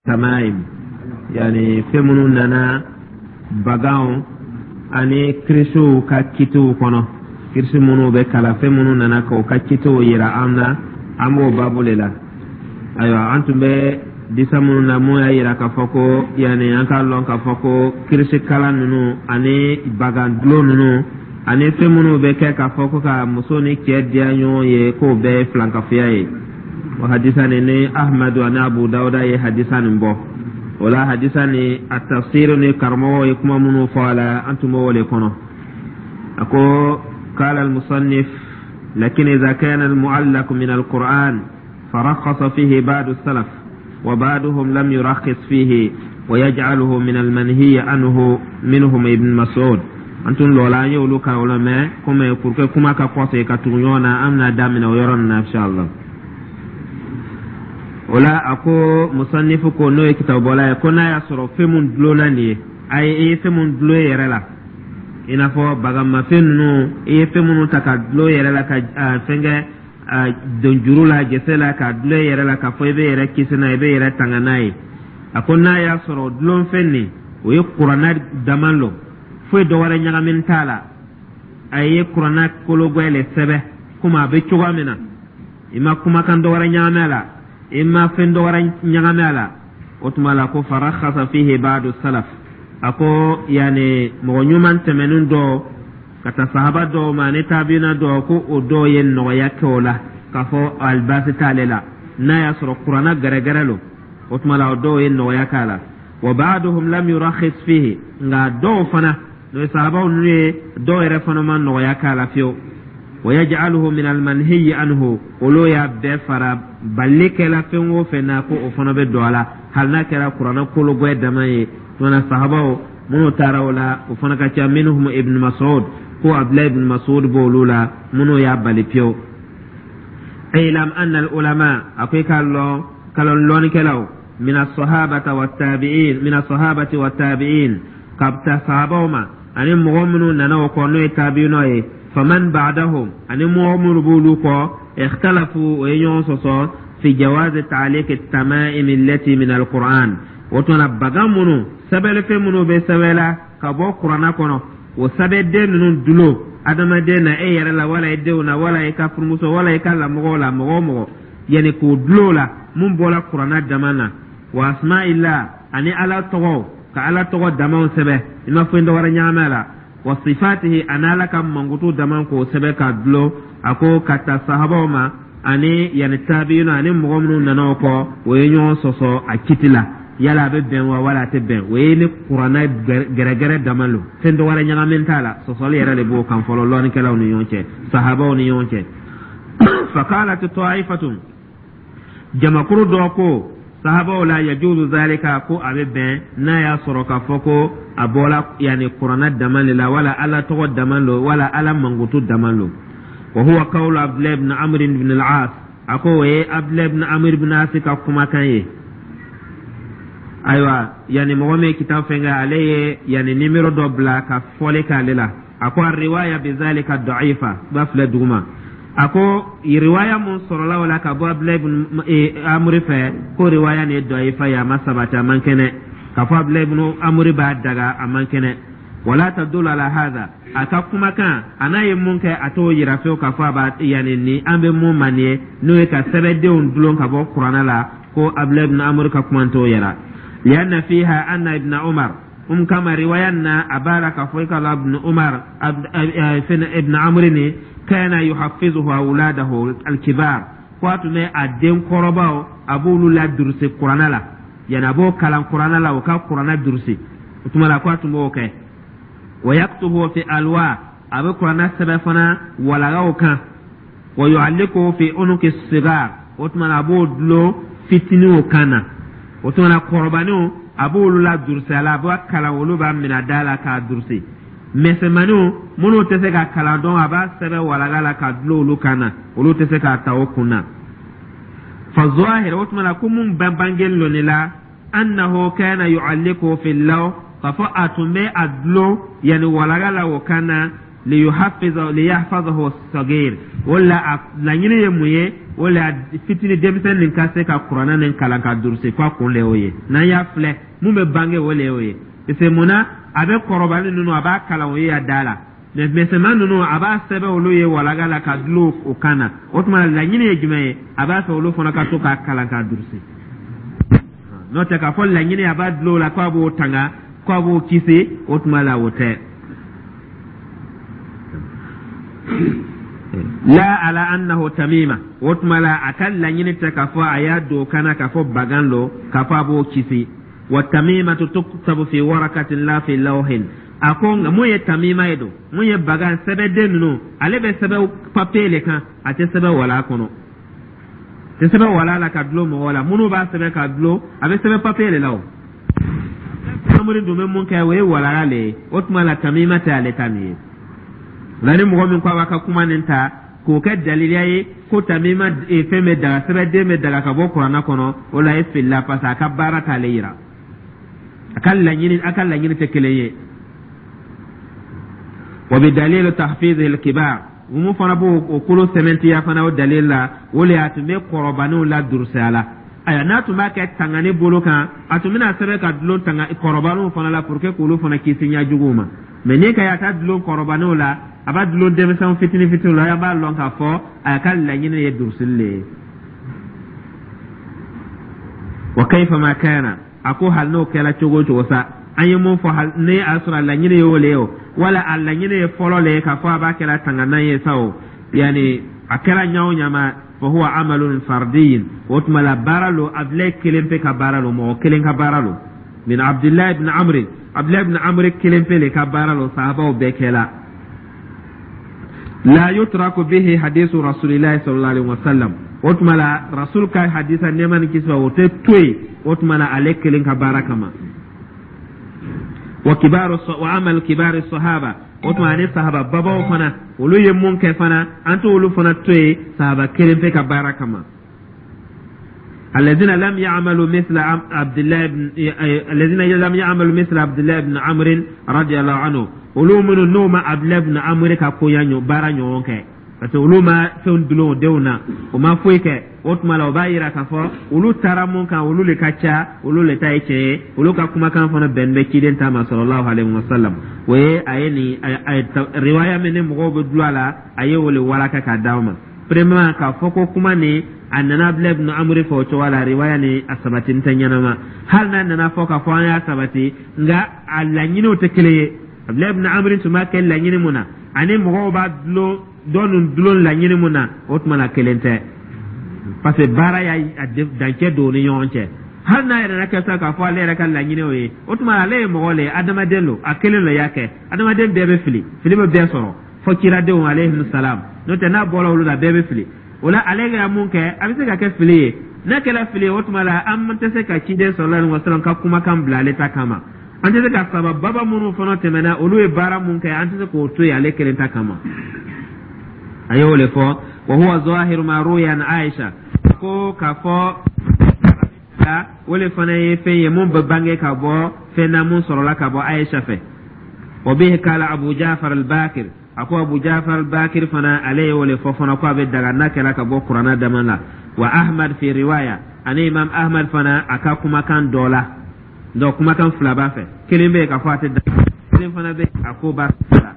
Tamaim, yani fɛn minnu nana baganw ani kirisiw ka kitiw kɔnɔ, kirisi minnu bɛ kalan, fɛn minnu nana k'o ka kitiw yira an na, an b'o babu le la. Ayiwa, an tun bɛ disa minnu na, mun y'a yira k'a fɔ ko yani an k'a lɔn k'a fɔ ko kirisi kalan ninnu ani bagan dulon ninnu ani fɛn minnu bɛ kɛ k'a fɔ ko ka muso ni cɛ diya ɲɔgɔn ye, k'o bɛɛ ye filankafoya ye. O hadisa nin ni Ahmadu ani Abu Dawuda ye hadisa nin bɔ. O la, hadisa nin a tafsir ni karamɔgɔw ye kuma minnu fɔ a la, an tun b'o le kɔnɔ. A ko: قال المصنف: لكن إذا كان المعلق من القرآن فرخص فيه بعض السلف وبعضهم لم يرخص فيه ويجعله من المنهي عنه، منهم ابن مسعود. An tun lɔla, an ye olu kan o la, mais komi pour que kuma ka kɔsegin ka tugu ɲɔgɔn na, an bɛna daminɛ o yɔrɔ nin na, inshallah. O la, a ko musannifu ko, n'o ye kitabubɔla ye, ko n'a y'a sɔrɔ fɛn mun dulonna nin ye, a ye, i ye fɛn mun dulon i yɛrɛ la, i n'a fɔ bagamafɛn ninnu, i ye fɛn minnu ta ka dulon i yɛrɛ la, ka fɛn kɛ don juru la, jɛsɛ la, ka dulon i yɛrɛ la, k'a fɔ i bɛ yɛrɛ kisi n'a ye, i bɛ yɛrɛ tanga n'a ye, a ko n'a y'a sɔrɔ dulonfɛn nin, o ye Kuranna dama lo, foyi dɔ wɛrɛ ɲagamini t'a la, a ye Kuranna kologwɛ le sɛbɛ komi a bɛ cogoya min na, i ma kumakan dɔ wɛrɛ ɲagami a la, i ma fɛn dɔ wɛrɛ ɲagami a la, o tuma la ko farakhasa fihi ba'du salaf. A ko yani mɔgɔ ɲuman tɛmɛnen dɔw ka taa sahaba dɔw ma ani taabina dɔw, ko o dɔw ye nɔgɔya kɛ o la, k'a fɔ alibaasi t'ale la n'a y'a sɔrɔ Kuranna gɛrɛgɛrɛ lo. O tuma la, o dɔw ye nɔgɔya k'a la. Wa ba'duhum lam yurakhis fihi, nka dɔw fana, n'o ye sahabaw ninnu ye, dɔw yɛrɛ fana ma nɔgɔya k'a la fiyewu. Wa yaj'aluhu min almanhiyi anhu, olu y'a bɛɛ fara balili kɛla fɛn o fɛn na, ko o fana bɛ don a la, hali n'a kɛra Kuranɛ kologwɛ dama ye. Tuma sahabaw minnu taara o la, o fana ka ca. Minhum Ibn Mas'ud, ko Abdulayi ibn Mas'ud b'olu la minnu y'a bali pewu. Ilam anna al ulama, a ko i k'a lɔn kalon lɔnnikɛlaw, min as-sahabata wa tabi'in, min as-sahabati wa tabi'in, ka ta sahabaw ma ani mɔgɔ minnu nana o kɔ, n'o ye tabi'inaw ye, faman ba'dahum, ani mɔgɔ minnu b'olu kɔ, ikhtalafu, o ye ɲɔgɔn sɔsɔ, fi jawazi ta'liq at-tama'im allati min al-Qur'an. O tuma na, bagan minnu, sɛbɛnlifɛn minnu bɛ sɛbɛn la ka bɔ Kuranna kɔnɔ, o sɛbɛnden ninnu dulon adamaden na, e yɛrɛ la, wala i denw na, wala i ka furumuso, wala i ka lamɔgɔw la, mɔgɔ o mɔgɔ, yanni k'o dulon la mun bɔra Kuranna dama na, wa asma'illah, ani Ala tɔgɔw, ka Ala tɔgɔ damaw sɛbɛn, i ma foyi dɔ wɛrɛ ɲagami a la, wa sifatihi, ani Ala ka mankutu dama, k'o sɛbɛn ka dulon, a ko ka ta sahabaw ma ani yanni tabiina ani mɔgɔ minnu nana o kɔ, o ye ɲɔgɔn sɔsɔ a kiti la, yala a bɛ bɛn wa, wala a tɛ bɛn. O ye ni Kuranna gɛrɛgɛrɛ dama lo, fɛn dɔ wɛrɛ ɲagamin t'a la. Sɔsɔli yɛrɛ de b'o kan fɔlɔ lɔnnikɛlaw ni ɲɔgɔn cɛ, sahabaw ni ɲɔgɔn cɛ. Faqalat ta'ifatun, jamakuru dɔ ko sahabaw la, yajuzu zalika, ko a bɛ bɛn n'a y'a sɔrɔ k'a fɔ ko a bɔra yanni Kuranna dama de la, wala Ala tɔgɔ dama lo, wala Ala mankutu dama lo. Wa huwa qawlu Abdullah ibn Amr ibn al-As, a ko o ye Abdullah ibn Amr ibn As ka kumakan ye. Ayiwa, yanni mɔgɔ min ye kitabu fɛn kɛ, ale ye yanni nimero dɔ bila ka fɔli k'ale la. A ko riwaya bizalika da'ifa, b'a filɛ duguma. A ko riwaya mun sɔrɔla o la ka bɔ Abdulayi ibn Amuri fɛ, ko riwaya nin ye da'ifa ye, a ma sabati, a man kɛnɛ. K'a fɔ Abdulayi ibn Amuri b'a daga, a man kɛnɛ. Wala tadulu ala hadha, a ka kumakan a n'a ye mun kɛ, a t'o yira fewu k'a fɔ a b'a yanni ni an bɛ mun ma nin ye, n'o ye ka sɛbɛndenw dulon ka bɔ Kuranɛ la, ko Abdulayi ibn Amuri ka kuma t'o yira. Lianna fiha anna Ibn Umar um, kama riwaya na a b'a la k'a fɔ i ka la Ibn Umar ibn Amri ni kana yuhaffizuhu awladahu alkibar, ko a tun bɛ a den kɔrɔbaw, a b'olu la durusi Kuranɛ la, yani a b'o kalan Kuranɛ la, o ka Kuranɛ durusi. O tuma la, ko a tun b'o kɛ. Wa yaktubu fi alwa, a bɛ Kuranɛ sɛbɛn fana walagaw kan. Wa yu'alliquhu fi unuki sigar, o tuma na, a b'o dulon fitininw kan na. O tuma na, kɔrɔbaninw, a b'olu la durusi a la, a b'a kalan, olu b'a minɛ da la k'a durusi. Misɛnmaninw minnu tɛ se ka kalan dɔn, a b'a sɛbɛn walaga la ka dulon olu kan na, olu tɛ se k'a ta o kun na. Fa zahir, o tuma na, ko mun bɛ bangeli loni la, annahu kana yu'alliqu fi law, k'a fɔ a tun bɛ a dulon yanni walaga la o kan na, liyuhaffiza liyahfazahu sagir. O la, a laɲini ye mun ye? O le fitini denmisɛn nin ka se ka kuranɛ nin kalan ka durusi, ko a kun le y'o ye. N'an y'a filɛ, mun bɛ bange, o le y'o ye, parce que mun na a bɛ kɔrɔbali ninnu, a b'a kalan o ye a da la, mais misɛnman ninnu, a b'a sɛbɛn olu ye walaga la ka dulon o kan na. O tuma, laɲini ye jumɛn ye? A b'a fɛ olu fana ka to k'a kalan k'a durusi. N'o tɛ, k'a fɔ laɲini a b'a dulon o la k'a b'o tanga, k'a b'o kisi, o tuma la, o tɛ. La ala annahu tamima, o tuma la, a ka laɲini tɛ k'a fɔ a y'a don kana k'a fɔ bagan lo, k'a fɔ a b'o kisi. Wa tamimatu tuktabu fi warakatin la fi lawhin. A ko nka mun ye tamima ye don, mun ye bagan sɛbɛden ninnu, ale bɛ sɛbɛn papiye le kan, a tɛ sɛbɛn wala kɔnɔ, tɛ sɛbɛn wala la ka dulon mɔgɔ la. Minnu b'a sɛbɛn ka dulon, a bɛ sɛbɛn papiye de la. O amuri dun bɛ mun kɛ, o ye walaga le ye. O tuma la, tamima tɛ ale ta nin ye. Nka ni mɔgɔ min ko a b'a ka kuma nin ta k'o kɛ daliliya ye ko tamima fɛn bɛ daga, sɛbɛnden bɛ daga ka bɔ kuranna kɔnɔ, o la e filila, parce que a ka baara t'ale yira, a ka laɲini tɛ kelen ye. Wa bi dalilu tahfiz al-kibar, mun fana b'o o kolo sɛmɛntiya fana o dalil la, o le a tun bɛ kɔrɔbaninw la durusiya la. Ayiwa, n'a tun b'a kɛ tangani bolo kan, a tun bɛna sɛbɛn ka dulon tanga kɔrɔbaninw fana la pour que k'olu fana kisi ɲɛjuguw ma. Mais n'i ka a ta dulon kɔrɔbaninw la, a b'a dulon denmisɛnw fitinin fitinin la, a b'a lɔn k'a fɔ a ka laɲini ye durusili le ye. Wa kayfa ma kana, a ko hali n'o kɛra cogo o cogo sa, an ye mun fɔ, hali ni a sɔrɔ a laɲini ye o le ye o, wala a laɲini ye fɔlɔ le ye k'a fɔ a b'a kɛra tanganan ye sa o, yanni a kɛra ɲa o ɲa ma, fa huwa amalun fardiyin, o tuma la, baara lo, Abdulayi kelen pe ka baara lo, mɔgɔ kelen ka baara lo, min Abdulayi ibn Amri, Abdulayi ibn Amri kelen pe le ka baara lo, sahabaw bɛɛ kɛla. La yutraku bihi hadisu rasulillahi sallallahu alaihi wasallam, o tuma la, rasul ka hadisa, nɛɛma ni kisi, o tɛ to yen, o tuma la, ale kelen ka baara kama. Wa kibaru wa amal kibari sahaba, o tuma ani sahaba babaw fana, olu ye mun kɛ fana, an t'olu fana to yen sahaba kelen pe ka baara kama. الذين لم يعملوا مثل عبد الله بن عمرو رضي الله عنه، olu minnu n'o ma Abdullah ibn Amr ka koya baara ɲɔgɔn kɛ, parce que olu ma fɛnw dulon o denw na, o ma foyi kɛ. O tuma la, o b'a yira k'a fɔ olu taara mun kan, olu le ka ca, olu le ta ye tiɲɛ ye, olu ka kumakan fana bɛn bɛ ciden ta ma sallallahu alaihi wasallam. O ye a ye nin riwaya min ni mɔgɔw bɛ dulon a la, a ye o le walaka k'a d'aw ma. Premièrement, k'a fɔ ko kuma nin a nana Abdulayi ibn Amri fɛ o cogo la, riwaya ni a sabati tɛ ɲɛnama. Hali n'a nana fɔ k'a fɔ an y'a sabati, nka a laɲiniw tɛ kelen ye. Abdulayi ibn Amri tun b'a kɛ laɲini mun na, ani mɔgɔw b'a dulon dɔ ninnu dulon laɲini mun na, o tuma na, kelen tɛ, parce que baara y'a dancɛ don u ni ɲɔgɔn cɛ. Hali n'a yɛrɛ kɛ sa k'a fɔ ale yɛrɛ ka laɲini o ye, o tuma ale ye mɔgɔ le ye, adamaden don, a kelen le y'a kɛ. Adamaden bɛɛ bɛ fili, fili bɛ bɛɛ sɔrɔ, fɔ kiradenw alayhi salam. N'o tɛ, n'a bɔra olu la, bɛɛ bɛ fili. O la, ale ka mun kɛ, a bɛ se ka kɛ fili ye. N'a kɛra fili ye, o tuma la, an tɛ se ka ciden sallallahu alaihi wasallam ka kumakan bila ale ta kama. An tɛ se ka saba baba minnu fana tɛmɛna, olu ye baara mun kɛ, an tɛ se k'o to yen ale kelen ta kama. A y'o le fɔ. Wa huwa zahiru ma ruya an Aisha, ko k'a fɔ o le fana ye fɛn ye mun bɛ bange ka bɔ fɛn na mun sɔrɔla ka bɔ Aisha fɛ. Wa bihi kala Abu Jafar al-Bakir, a ko Abu Jafar al-Bakir fana, ale ye o le fɔ fana ko a bɛ daga n'a kɛra ka bɔ kuranna dama la. Wa Ahmad fi riwaya, ani Imam Ahmad fana, a ka kumakan dɔ la. Donc kumakan fila b'a fɛ, kelen bɛ yen k'a fɔ a tɛ daga, kelen fana bɛ a ko b'a la.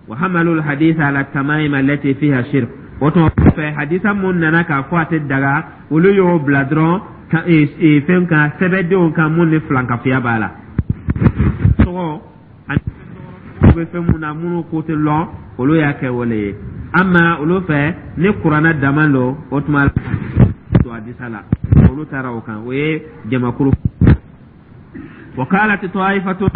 Wa hamalu al-hadith ala tamaim allati fiha shirk, o tuma fɛ, hadisa mun nana k'a fɔ a tɛ daga, olu y'o bila dɔrɔn fɛn kan, sɛbɛndenw kan mun ni filankafoya b'a la, tɔgɔ ani bɛ fɛn mun na minnu ko tɛ lɔn, olu y'a kɛ wale ye. Ama olu fɛ, ni kuranɛ dama lo, o tuma to hadisa la, olu taara o kan, o ye jamakulu. Wa qalat ta'ifatu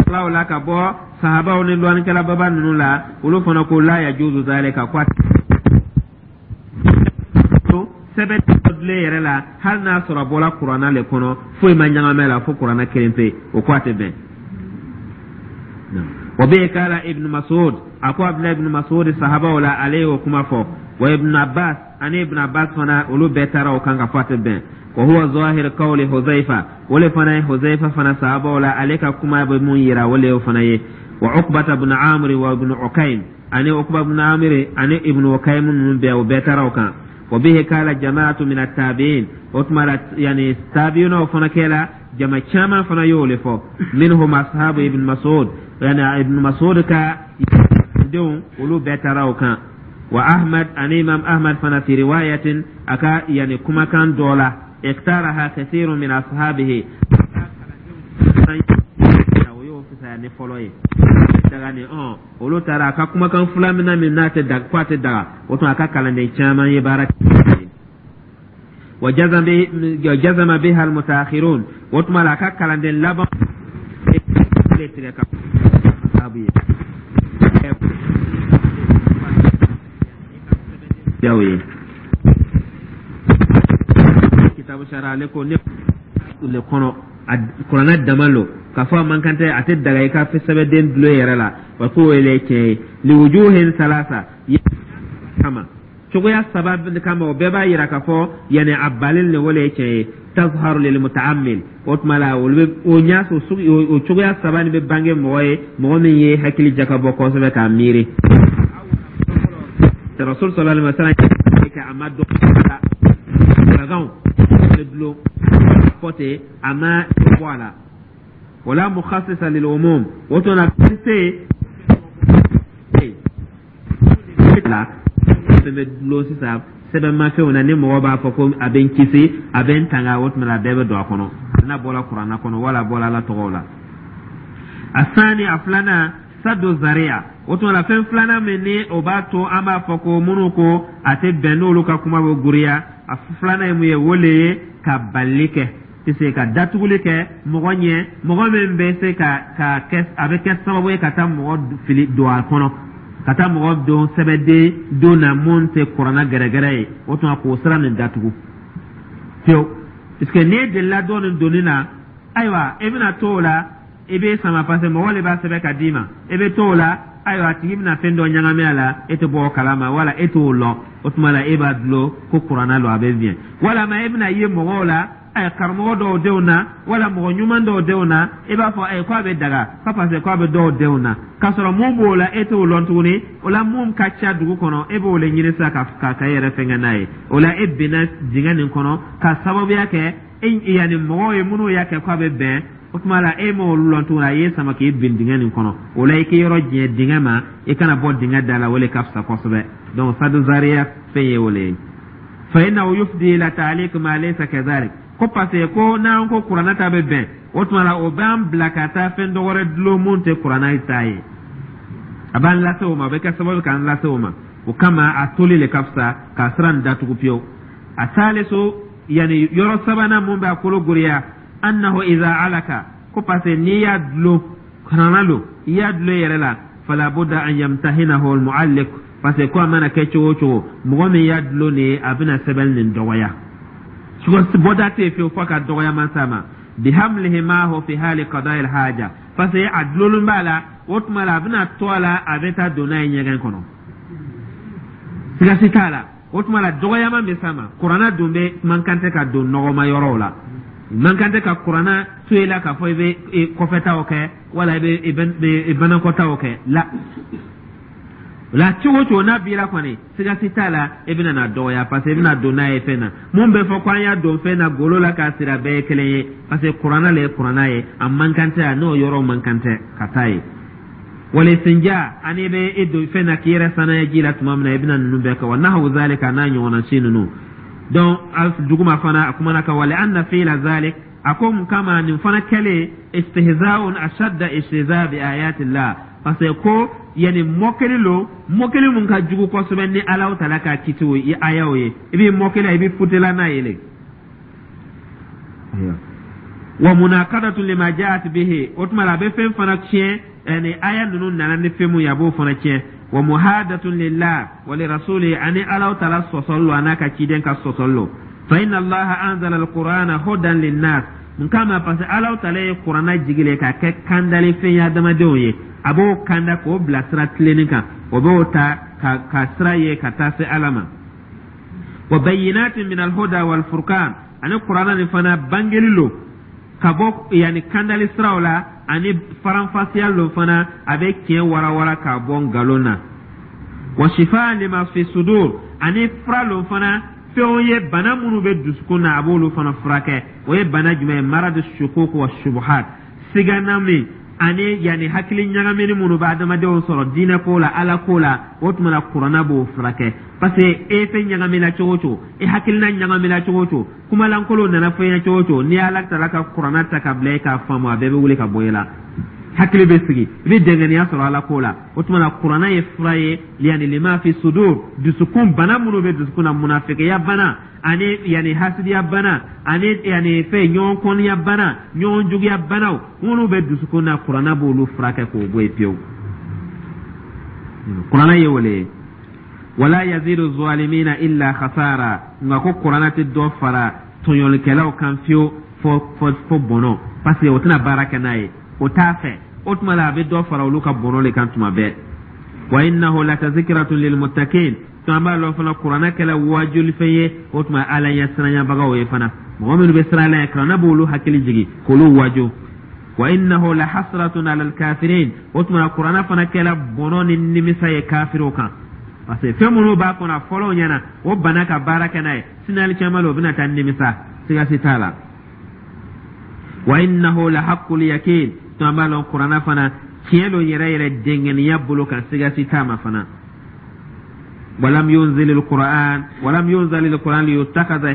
la ka bɔ sahabaw ni lɔnnikɛla baba ninnu la, olu fana ko la yajuzu zalika, ko sɛbɛn dulon yɛrɛ la, hali n'a sɔrɔ a bɔra kuranna le kɔnɔ, foyi ma ɲagamɛ la fo kuranna kelen pe, o ko a tɛ bɛn. Wa bihi kala Ibn Mas'ud, a ko Abdulahi ibn Mas'ud, sahabaw la, ale y'o kuma fɔ. Wa Ibn Abbas, ani Ibn Abbas fana, olu bɛɛ taara o kan ka fɔ a tɛ bɛn. Wa huwa zahir qawli Huzaifa, o le fana ye Huzaifa fana, sahabaw la, ale ka kuma bɛ mun yira, o le y'o fana ye. Wa Uqbata ibn Amr wa ibn Ukaym, ani Uqba ibn Amr ani ibn Ukaym ninnu bɛɛ, o bɛɛ taara o kan. Wa bihi kala jamaatu min attabiin, o tuma la yani tabiinaw fana kɛla jama caman fana y'o le fɔ, minhum ashabu Ibn Masud, yani Ibn Masud ka denw, olu bɛɛ taara o kan. Wa Ahmad, ani Imam Ahmad fana, fi riwayatin, a ka yani kumakan dɔ la, iktaraha kathirun min ashabihi, o y'o fisaya ni fɔlɔ ye daga ni olu taara a ka kumakan fila min na min n'a tɛ daga, ko a tɛ daga, o tuma a ka kalanden caman ye baara kɛ. Wa jazama biha almutaakhirun, o tuma la a ka kalanden laban le tigɛ ka sababu ye jaw ye kitabu sara ale ko ne le kɔnɔ a kuranɛ dama lo k'a fɔ a man kan tɛ, a tɛ daga i ka sɛbɛnden dulon i yɛrɛ la. Wa k'o ye tiɲɛ ye liwujuhin salasa kama, cogoya saba kama, o bɛɛ b'a yira k'a fɔ yani a balen le, o le ye tiɲɛ ye. Tazharu lil mutaammil, o tuma la olu bɛ o ɲa o cogoya saba nin bɛ bange mɔgɔ ye, mɔgɔ min ye hakili jakabɔ kosɛbɛ k'a miiri. Rasul sallallahu alaihi wasallam kɛ a ma dɔn la baganw bɛ dulon fɔ ten, a ma bɔ a la. Wala mukhassisa lil umum, o tuma la fɛn tɛ yen la fɛn bɛ dulon sisan sɛbɛnmafɛnw na ni mɔgɔ b'a fɔ ko a bɛ n kisi, a bɛ n tanga, o tuma la a bɛɛ bɛ don a kɔnɔ, n'a bɔra kuranna kɔnɔ wala a bɔra Ala tɔgɔw la. Asani, a filanan, sadu zariya, o tuma la fɛn filanan min ni o b'a to an b'a fɔ ko minnu ko a tɛ bɛn, n'olu ka kuma bɛ guriya, a filanan ye mun ye? O le ye ka balili kɛ, se ka datuguli kɛ mɔgɔ ɲɛ, mɔgɔ min bɛ se ka kɛ, a bɛ kɛ sababu ye ka taa mɔgɔ fili don a kɔnɔ, ka taa mɔgɔ don sɛbɛnden don na mun tɛ kuranna gɛrɛgɛrɛ ye. O tuma k'o sira nin datugu pewu, parce que n'e delila dɔ nin donni na, ayiwa, e bɛna to o la, i bɛ sama, parce que mɔgɔ de b'a sɛbɛn ka d'i ma, e bɛ to o la, ayiwa, a tigi bɛna fɛn dɔ ɲagami a la, e tɛ bɔ o kalama wala e t'o lɔn. O tuma la e b'a dulon ko kuranna lo, a bɛ biɲɛ, walama e bɛna ye mɔgɔw la, karamɔgɔ dɔw denw na wala mɔgɔ ɲuman dɔw denw na, i b'a fɔ ko a bɛ daga ko parce que ko a bɛ dɔw denw na, k'a sɔrɔ mun b'o la, e t'o lɔn tuguni. O la mun ka ca dugu kɔnɔ, e b'o le ɲini sisan ka e yɛrɛ fɛnkɛ n'a ye. O la e binna dingɛ nin kɔnɔ ka sababuya kɛ e yanni mɔgɔw ye minnu y'a kɛ k'a bɛ bɛn. O tuma la e m'olu lɔn tuguni, a y'e sama k'i bin dingɛ nin kɔnɔ. O la i k'i yɔrɔ janya dingɛ ma, i kana bɔ dingɛ da la, o le ka fisa kosɛbɛ. Donc sadu zariya fɛn ye o le ye. Fa innahu yufdi ila ta'liq ma laysa kadhalik, ko parce que ko n'an ko kuranna ta bɛ bɛn, o tuma la o b'an bila ka taa fɛn dɔ wɛrɛ dulon mun tɛ kuranna ta ye, a b'an lase o ma, a bɛ kɛ sababu k'an lase o ma. O kama a toli le ka fisa k'a sira nin datugu pewu. A salisu, yani yɔrɔ sabanan mun b'a kolo goriya, annahu iza alaka, ko parce que n'i y'a dulon kuranna lo, i y'a dulon i yɛrɛ la, fala budda an yamtahinahu almualliq, parce que ko a mana kɛ cogo o cogo, mɔgɔ min y'a dulon nin ye, a bɛna sɛbɛnni nin dɔgɔya, bɔda tɛ yen fiyewu fo ka dɔgɔyama s'a ma, bihamlihi maahu fi hali qada'i alhaja, parce que a dulonlen b'a la, o tuma la a bɛna to a la, a bɛ taa don n'a ye ɲɛgɛn kɔnɔ, siga si t'a la. O tuma la dɔgɔyama bɛ s'a ma. Kuranna dun bɛ man kan tɛ ka don nɔgɔma yɔrɔw la, man kan tɛ ka kuranna to i la k'a fɔ i bɛ kɔfɛtaw kɛ wala i bɛ banakɔtaw kɛ la. O la cogo o cogo n'a b'i la kɔni, siga si t'a la, i bɛna na dɔgɔya, parce que i bɛna don n'a ye fɛn na mun bɛ fɔ ko an y'a don fɛn na golo la k'a siri, a bɛɛ ye kelen ye, parce que kuranna le ye kuranna ye, a man kan tɛ, a n'o yɔrɔ man kan tɛ ka taa yen. Walistinja, ani i bɛ i don fɛn na k'i yɛrɛ sanaya ji la tuma min na, i bɛna ninnu bɛɛ kɛ, wa nahawu zalika, n'a ɲɔgɔnna si ninnu. Donc duguma fana a kumana kan, wa li anna fi'la zalik, a ko mun kama nin fana kɛlen, istihza'un ashadda istihza bi ayatillah, parce que ko yani mɔkeli lo, mɔkeli mun ka jugu kosɛbɛ ni Alahu taala ka kitiw ye, ayaw ye, i b'i mɔkeli, i bɛ futela n'a ye le. Wa munakadatu lima jaat bihi, o tuma la a bɛ fɛn fana tiɲɛ, ni aya ninnu nana ni fɛn mun ye, a b'o fana tiɲɛ. Wa muhadatun lillah wa li rasuli, ani Alahu taala sɔsɔli lo, a n'a ka ciden ka sɔsɔli lo. Fa inna Allaha anzala alqur'ana hudan linnas, mun kama? Parce que Alahu taala ye kuranna jigi le k'a kɛ kandali fɛn ye adamadenw ye, a b'o kanda k'o bila sira tilenni kan, o b'o ta ka sira ye ka taa se Ala ma. Wa bayyinatin min alhuda wal furqan, ani kuranna nin fana bangeli lo ka bɔ yanni kandali siraw la, ani faranfasiya lo fana, a bɛ tiɲɛ warawara k'a bɔ nkalon na. Wa shifa lima fi sudur, ani fura lo fana. Fɛnw ye, bana minnu bɛ dusukun na, a b'olu fana furakɛ. O ye bana jumɛn ye? Maradu shukuk wa shubuhat, sigana min ani yanni hakili ɲagamini minnu bɛ adamadenw sɔrɔ diinɛ ko la, Ala ko la. O tuma na, kuranna b'o furakɛ, parce que e fɛn ɲagamina cogo o cogo, e hakilina ɲagamina cogo o cogo, kumalankolon nana fɔ i ɲɛna cogo o cogo, n'i y'Ala taala ka kuranna ta ka bila e k'a faamu, a bɛɛ bɛ wuli ka bɔ i la, hakili bɛ sigi, i bɛ dɛngɛniya sɔrɔ Ala ko la. O tuma na, kuranna ye fura ye yanni lima fi sudur, dusukun bana minnu bɛ dusukun na, munafikiya bana ani yanni hasidiya bana ani yanni fɛn ɲɔgɔn kɔniya bana, ɲɔgɔn juguya banaw minnu bɛ dusukun na, kuranna b'olu furakɛ k'o bɔ yen pewu. Kuranna ye wele ye. Wala yazidu zalimina illa khasara. Nka ko kuranna tɛ dɔ fara tɔɲɔlikɛlaw kan fiyewu fo bɔnɔ, parce que o tɛna baara kɛ n'a ye, o t'a fɛ. O tuma la, a bɛ dɔ fara olu ka bɔnɔ de kan tuma bɛɛ. Wa innahu latazkiratun lilmuttaqin. To an b'a lɔn fana, kuranɛ kɛla wajulifɛn ye. O tuma, Ala ɲɛ siranyabagaw ye fana, mɔgɔ minnu bɛ siran Ala ɲɛ, kuranɛ b'olu hakili jigin k'olu waju. Wa innahu la hasratun ala alkafirin. O tuma, kuranɛ fana kɛla bɔnɔ ni nimisa ye kafiriw kan, parce que fɛn minnu b'a kɔnɔ, a fɔlɔw ɲɛna, o banna ka baara kɛ n'a ye. Sini alikiyama la, o bɛna taa nimisa, siga si t'a la. Wa innahu la haqqul yakin. To an b'a lɔn, kuranɛ fana tiɲɛ don yɛrɛ yɛrɛ, dɛngɛniya bolo kan, siga si t'a ma fana. Walam yunzil alquran, walam yunzal alquran liyuttakhadha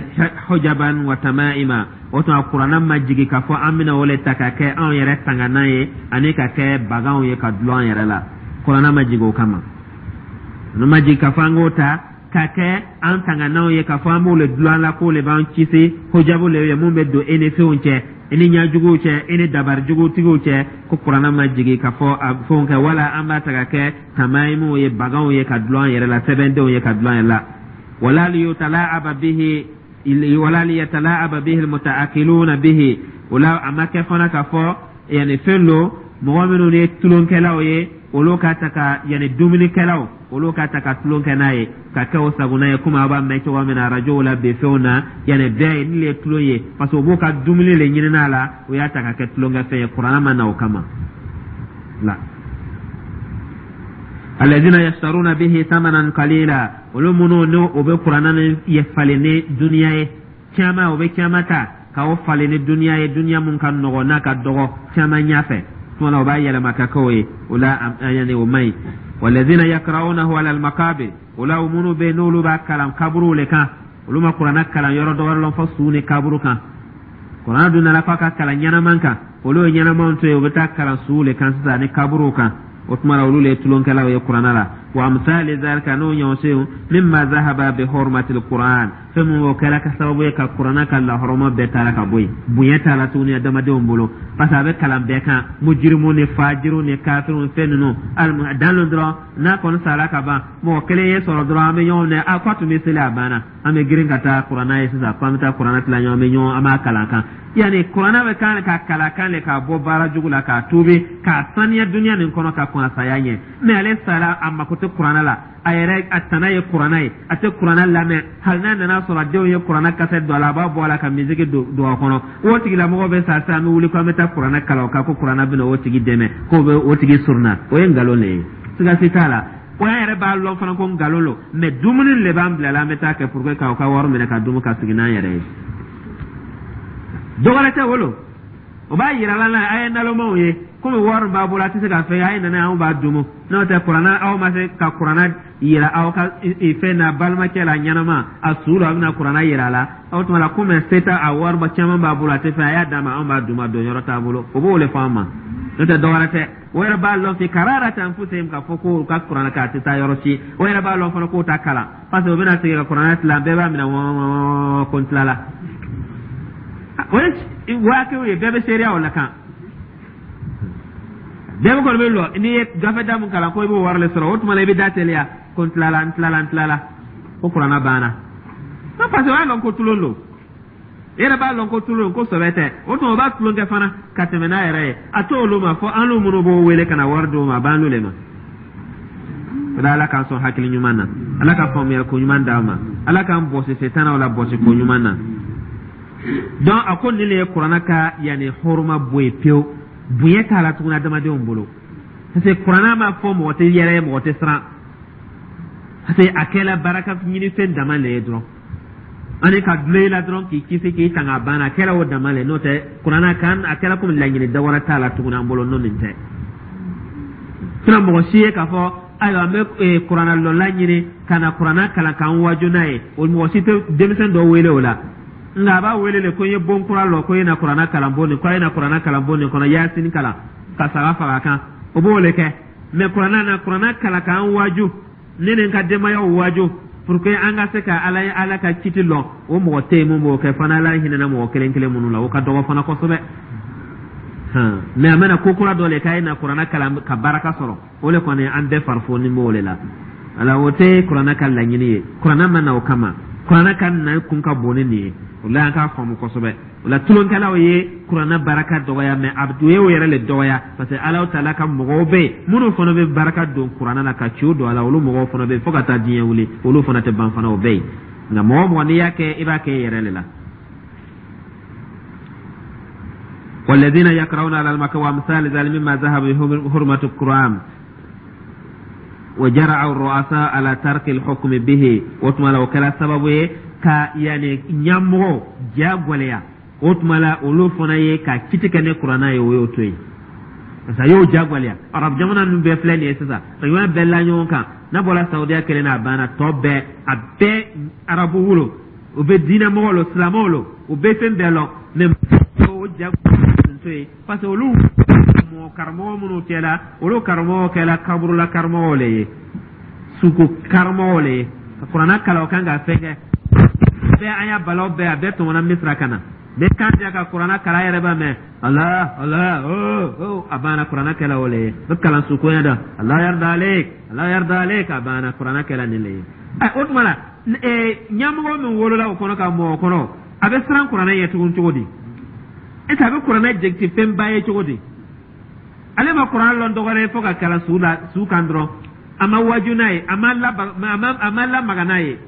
hujaban wa tamaima. O tuma, kuranɛ ma jigi k'a fɔ an bɛna o le ta ka kɛ anw yɛrɛ tanganan ye ani ka kɛ baganw ye ka dulon an yɛrɛ la. Kuranɛ ma jigi o kama. No ma jigi k'a fɔ an k'o ta ka kɛ an tangananw ye, k'a fɔ an b'o le dulon an la, k'o le b'an kisi, hujabu le ye mun bɛ don e ni fɛnw cɛ, i ni ɲajuguw cɛ, i ni dabarijugutigiw cɛ. Ko kuranɛ ma jigin k'a fɔ a fɛnw kɛ, wala an b'a ta ka kɛ tamayimuw ye, baganw ye ka dulon an yɛrɛ la, sɛbɛndenw ye ka dulon an yɛrɛ la. Wala liyutalaaba bihi, wala liyatalaaba bihi almutaakiluna bihi. O la, a ma kɛ fana k'a fɔ yanni fɛn don, mɔgɔ minnu ye tulonkɛlaw ye, olu ka ta ka, yanni dumunikɛlaw, olu ka ta ka tulon kɛ n'a ye, ka kɛ o sagona ye, komi aw b'a mɛn cogo min na arajow la bi, fɛnw na, yanni bɛɛ ye ni le ye tulon ye, parce que u b'u ka dumuni le ɲini n'a la, o y'a ta ka kɛ tulonkɛfɛn ye. Kuranɛ ma na o kama la. Alladhina yashtaruna bihi thamanan qalila, olu minnu n'o o bɛ kuranɛ ni ye falen ni duniya ye caman, o bɛ caman ta ka o falen ni duniya ye, duniya mun ka nɔgɔ n'a ka dɔgɔ caman ɲɛfɛ tuma na, o b'a yɛlɛma ka kɛ o ye. O la, yanni o man ɲi. Walladhina yakra'unahu ala almaqabir. O la, minnu bɛ yen n'olu b'a kalan kaburuw le kan, olu ma kuranɛ kalan yɔrɔ dɔ wɛrɛ lɔn fɔ su ni kaburu kan. Kuranɛ dun nana k'a ka kalan ɲɛnaman kan, olu ye ɲɛnamanw to yen, u bɛ taa kalan suw le kan sisan ani kaburuw kan. O tuma na, olu le ye tulonkɛlaw ye kuranɛ la. Wa amsali zalika, n'o ɲɔgɔnsenw, mimma zahaba bi hurmatil Qur'an, fɛn min o kɛra ka sababu ye ka kuranɛ ka lahɔrɔma bɛɛ taara ka bɔ yen, bonya t'a la tuguni adamadenw bolo, parce que a bɛ kalan bɛɛ kan, mujirimu ni fajiru ni kafiru, fɛn ninnu dan lo dɔrɔn. N'a kɔni sara ka ban, mɔgɔ kelen ye sɔrɔ dɔrɔn, an bɛ ɲɔgɔn minɛ, a ko a tun bɛ seli, a banna, an bɛ girin ka taa kuranɛ ye sisan, ko an bɛ taa kuranɛ tila ɲɔgɔn, bɛ ɲɔgɔn, an b'a kalan kan. Yanni kuranɛ bɛ kan ka kalan kan le k'a bɔ baara jugu la, k'a tuubi, k'a saniya duniya nin kɔnɔ ka kɔn a saya ɲɛ. Mɛ ale sara, a mako tɛ kuranɛ la, a yɛrɛ a tana ye kuranɛ ye, a tɛ kuranɛ lamɛn. Hali n'a nana sɔrɔ a denw ye kuranɛ kasɛ don a la, a b'a bɔ a la ka misiki don a kɔnɔ. O tigilamɔgɔ bɛ sa sisan, an bɛ wuli ko an bɛ taa kuranɛ kalan o kan, ko kuranɛ bɛna o tigi dɛmɛ, k'o bɛ o tigi surunna. O ye nkalon de ye, siga si t'a la. O y'an yɛrɛ b'a lɔn fana ko nkalon lo, mɛ dumuni de b'an bila la, an bɛ taa kɛ pour que k'aw ka wari minɛ ka dumu ka sigi n'an yɛrɛ ye, dɔ wɛrɛ tɛ wolo. O b'a yira la a ye nalomaw ye, komi wari b'a bolo, a tɛ se ka fɛn, a ye nana, anw b'a dumu. N'o tɛ, kuranɛ, aw ma se ka kuranɛ yira aw ka fɛn na, balimakɛ la ɲɛnama, a su la, a bɛna kuranɛ yira a la. O tuma la, komi se t'a, a wari caman b'a bolo, a tɛ fɛn, a y'a d'a ma, anw b'a dumu, a don yɔrɔ t'a bolo. O b'o de fɔ an ma, n'o tɛ dɔ wɛrɛ tɛ. O yɛrɛ b'a lɔn fi kararati anfusihim k'a fɔ ko u ka kuranɛ k'a tɛ taa yɔrɔ si. O yɛrɛ b'a lɔn fana k'o ta kalan, parce que o bɛna sigi ka kuranɛ tilan, bɛɛ b'a minɛ wɔɔrɔ ko n tilala. O ye waakew ye, bɛɛ bɛ seereya o la kan, bɛɛ bɛ kɔni bɛ lɔ. N'i ye gafe da mun kalan ko i b'o wari le sɔrɔ, o tuma la i bɛ da teliya ko n tilala, n tilala, n tilala, ko kuranɛ banna. Parce que o y'a lɔn ko tulon don, e yɛrɛ b'a lɔn ko tulon, ko sɔbɛ tɛ. O tuma, o b'a tulon kɛ fana ka tɛmɛ n'a yɛrɛ ye. A t'olu ma fɔ an n'u minnu b'o wele ka na wari d'u ma, a b'an n'u le ma. O la, Ala k'an sɔn hakili ɲuman na, Ala ka faamuyali ko ɲuman d'an ma, Ala k'an bɔsi setanaw la bɔsi ko ɲuman na. Donc a ko nin le ye kuranɛ ka yanni hɔrɔma bɔ yen pewu, bonya t'a la tuguni adamadenw bolo, parce que kuranɛ ma fɔ mɔgɔ tɛ yɛrɛ ye, mɔgɔ tɛ siran, parce que a kɛla baraka ɲinifɛn dama le ye dɔrɔn. Ani ka dulon i la dɔrɔn k'i kisi, k'i tanga, a banna, a kɛra o dama le. N'o tɛ, kuranna kan a kɛra komi laɲini dɔ wɛrɛ t'a la tuguni an bolo n'o nin tɛ. Sinon mɔgɔ si ye k'a fɔ ayiwa, an bɛ kuranna lɔnla ɲini ka na kuranna kalan k'an waaju n'a ye, o mɔgɔ si tɛ denmisɛn dɔ wele o la. Nka a b'a wele le ko n ye bon kura lɔ, ko i na kuranna kalan bon nin, ko a ye na kuranna kalan bon nin kɔnɔ, Yasini kalan ka saga faga kan, o b'o le kɛ. Mais kuranna na kuranna kalan k'an waaju, ne ni n ka denbayaw waaju pour que an ka se ka Ala ye, Ala ka kiti lɔn, o mɔgɔ tɛ yen mun b'o kɛ fana. Ala hinɛna mɔgɔ kelen kelen minnu la, o ka dɔgɔ fana kosɛbɛ. Mais a mana ko kura dɔ le k'a ye na kuranna kalan ka baraka sɔrɔ, o le kɔni an bɛɛ farifoni b'o le la. Ala, o tɛ kuranna ka laɲini ye. Kuranna ma na o kama. Kuranna ka na kun ka bon ni nin ye. O la an k'a faamu kosɛbɛ. O la tulonkɛlaw ye kuranna baraka dɔgɔya, mais a u ye o yɛrɛ le dɔgɔya, parce que Ala taala ka mɔgɔw bɛ yen minnu fana bɛ baraka don kuranna la ka ciw don a la. Olu mɔgɔw fana bɛ yen fo ka taa diɲɛ wuli, olu fana tɛ ban fana, o bɛ yen. Nka mɔgɔ o mɔgɔ n'i y'a kɛ, i b'a kɛ i yɛrɛ le la. والذين يقرؤون على المكة وأمثال ذلك مما ذهب بحرمة القرآن وجرع الرؤساء على ترك الحكم به. O tuma la o kɛra sababu ye ka yani ɲɛmɔgɔ ja gwɛlɛya. O tuma la olu fana ye ka kiti kɛ ni kuranna ye, o y'o to yen, parce que a y'o ja gwɛlɛya. Arabu jamana ninnu bɛɛ filɛ nin ye sisan, jamana bɛɛ la ɲɔgɔn kan, n'a bɔra Saudiya kelen na, a banna. Tɔ bɛɛ, a bɛɛ arabu wolo, u bɛ diinɛ mɔgɔw lo, silamɛw lo, u bɛ fɛn bɛɛ lɔn, mais o ja to yen, parce que olu mɔgɔ karamɔgɔ minnu kɛla, olu karamɔgɔ kɛla kaburula karamɔgɔw le ye, suko karamɔgɔw le ye, ka kuranna kalan o kan ka fɛn kɛ bɛɛ. An y'a balaw bɛɛ, a bɛɛ tɔmɔna Misira ka na bɛɛ kan diya ka kuranna kalan yɛrɛ b'a mɛn Allah Allah, oh oh, a banna. Kuranna kɛla o le ye, bɛ kalan sukoya dɔ, Allah yarda alek, Allah yarda alek, a banna. Kuranna kɛla nin le ye. O tuma la ɲɛmɔgɔ min wolola o kɔnɔ ka mɔgɔ kɔnɔ, a bɛ siran kuranɛ ɲɛ tugun cogo di? Est ce que a bɛ kuranɛ jate fɛnba ye cogo di? Ale ma kuranɛ lɔn dɔwɛrɛ ye fo ka kalan su la, su kan dɔrɔn. A ma waju n'a ye, a ma lamaga n'a ye,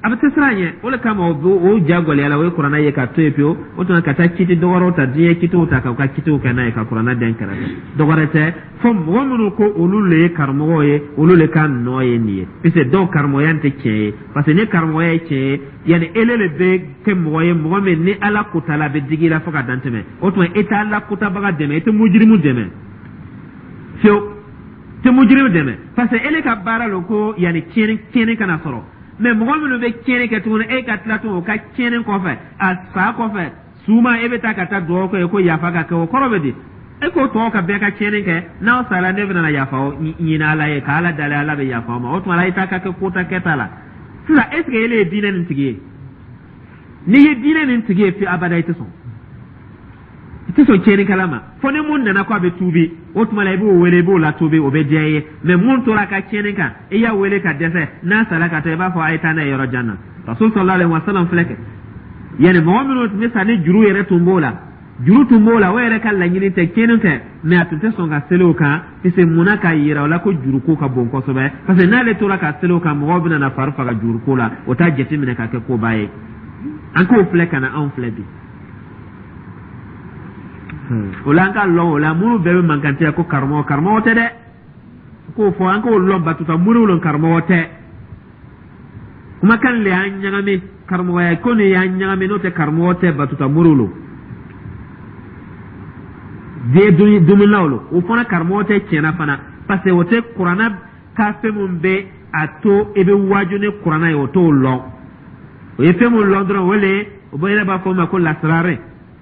a bɛ tɛ siran ɲɛ. O de kama o ja gɛlɛya la, o ye kuranɛ ye ka to yen pewu. O tuma ka taa kiti dɔwɛrɛw ta, diɲɛ kitiw ta, k'u ka kitiw kɛ n'a ye, ka kuranɛ dɛn kɛrɛfɛ. Dɔwɛrɛ tɛ, fo mɔgɔ minnu ko olu le ye karamɔgɔw ye, olu le ka nɔ ye nin ye, puisque dɔw karamɔgɔya tɛ tiɲɛ ye. Parce que ni karamɔgɔya ye tiɲɛ ye, yanni ele le bɛ kɛ mɔgɔ ye, mɔgɔ min ni Ala kota la, a bɛ digi i la fo ka dan tɛmɛ. O tuma e tɛ Ala kotabaga dɛmɛ, e tɛ mujirimu dɛmɛ fiyewu, tɛ mujirimu dɛmɛ, parce que ele ka baara lo ko yanni tiɲɛni kana sɔrɔ. Mais mɔgɔ minnu bɛ tiɲɛni kɛ tuguni, e ka tila tuguni o ka tiɲɛni kɔfɛ, a sa kɔfɛ suma, e bɛ taa ka taa dugawu kɛ ko yafa ka kɛ, o kɔrɔ bɛ di? E k'o tɔgɔ ka bɛɛ ka tiɲɛni kɛ, n'aw sara, ne bɛna yafa ɲini Ala ye, ka Ala dali, Ala bɛ yafa ma. O tuma la i t'a ka kɛ kota kɛta la sisan. Est ce que ele ye diinɛ nin tigi ye? N'i ye diinɛ nin tigi ye, fi abada i tɛ sɔn tiɲɛnikɛla ma, fo ni mun nana ko a bɛ tuubi. O tuma la i b'o wele, i b'o latuubi, o bɛ diya i ye. Mais mun tora a ka tiɲɛni kan, i y'a wele ka dɛsɛ, n'a sara ka taa, i b'a fɔ a ye taa n'a ye yɔrɔ jan na. Rasul sallallahu alaihi wasallam filɛ kɛ, yanni mɔgɔ minnu tun bɛ sa ni juru yɛrɛ tun b'o la, juru tun b'o la, o yɛrɛ ka laɲini tɛ, tiɲɛni tɛ, mais a tun tɛ sɔn ka seli o kan, puisque munna? K'a yira o la ko juruko ka bon kosɛbɛ, parce que n'ale tora ka seli o kan, mɔgɔw bɛna na fari faga juruko la, o t'a jateminɛ ka kɛ koba ye. An k'o filɛ ka na anw filɛ bi. O la an ka lɔn o la, minnu bɛɛ bɛ mankantiya ko karamɔgɔ, karamɔgɔ tɛ dɛ, k'o fɔ an k'o lɔn, batuta moriw lɔn, karamɔgɔ tɛ. Kumakan le y'an ɲagami, karamɔgɔya ko nin y'an ɲagami. N'o tɛ, karamɔgɔ tɛ, batuta moriw lo, diɲɛ dumunilaw lo. O fana karamɔgɔ tɛ tiɲɛna fana, parce que o tɛ kuranna ka fɛn min bɛ a to i bɛ waaju ni kuranna ye, o t'o lɔn. O ye fɛn min lɔn dɔrɔn, o le o bɛ yɛrɛ b'a fɔ o ma ko lasirare.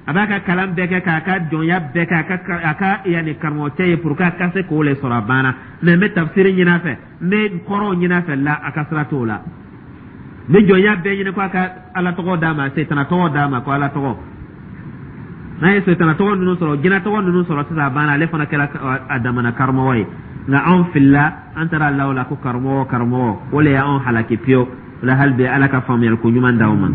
A b'a ka kalan bɛɛ kɛ, k'a ka jɔnya bɛɛ kɛ, a ka yanni karamɔgɔcɛ ye pour que a ka se k'o le sɔrɔ, a banna. Mais n bɛ tafsiri ɲini a fɛ, n bɛ kɔrɔw ɲini a fɛ la, a ka sira t'o la. N bɛ jɔnya bɛɛ ɲini ko a ka Ala tɔgɔ d'a ma, setana tɔgɔ d'a ma, ko Ala tɔgɔ. N'a ye setana tɔgɔ ninnu sɔrɔ, jinɛ tɔgɔ ninnu sɔrɔ sisan, a banna, ale fana kɛra a damana karamɔgɔ ye. Nka anw filila, an taara law la ko karamɔgɔ, karamɔgɔ, o le y'anw halaki pewu. O la hali bi, Ala ka faamuyali ko ɲuman d'aw ma.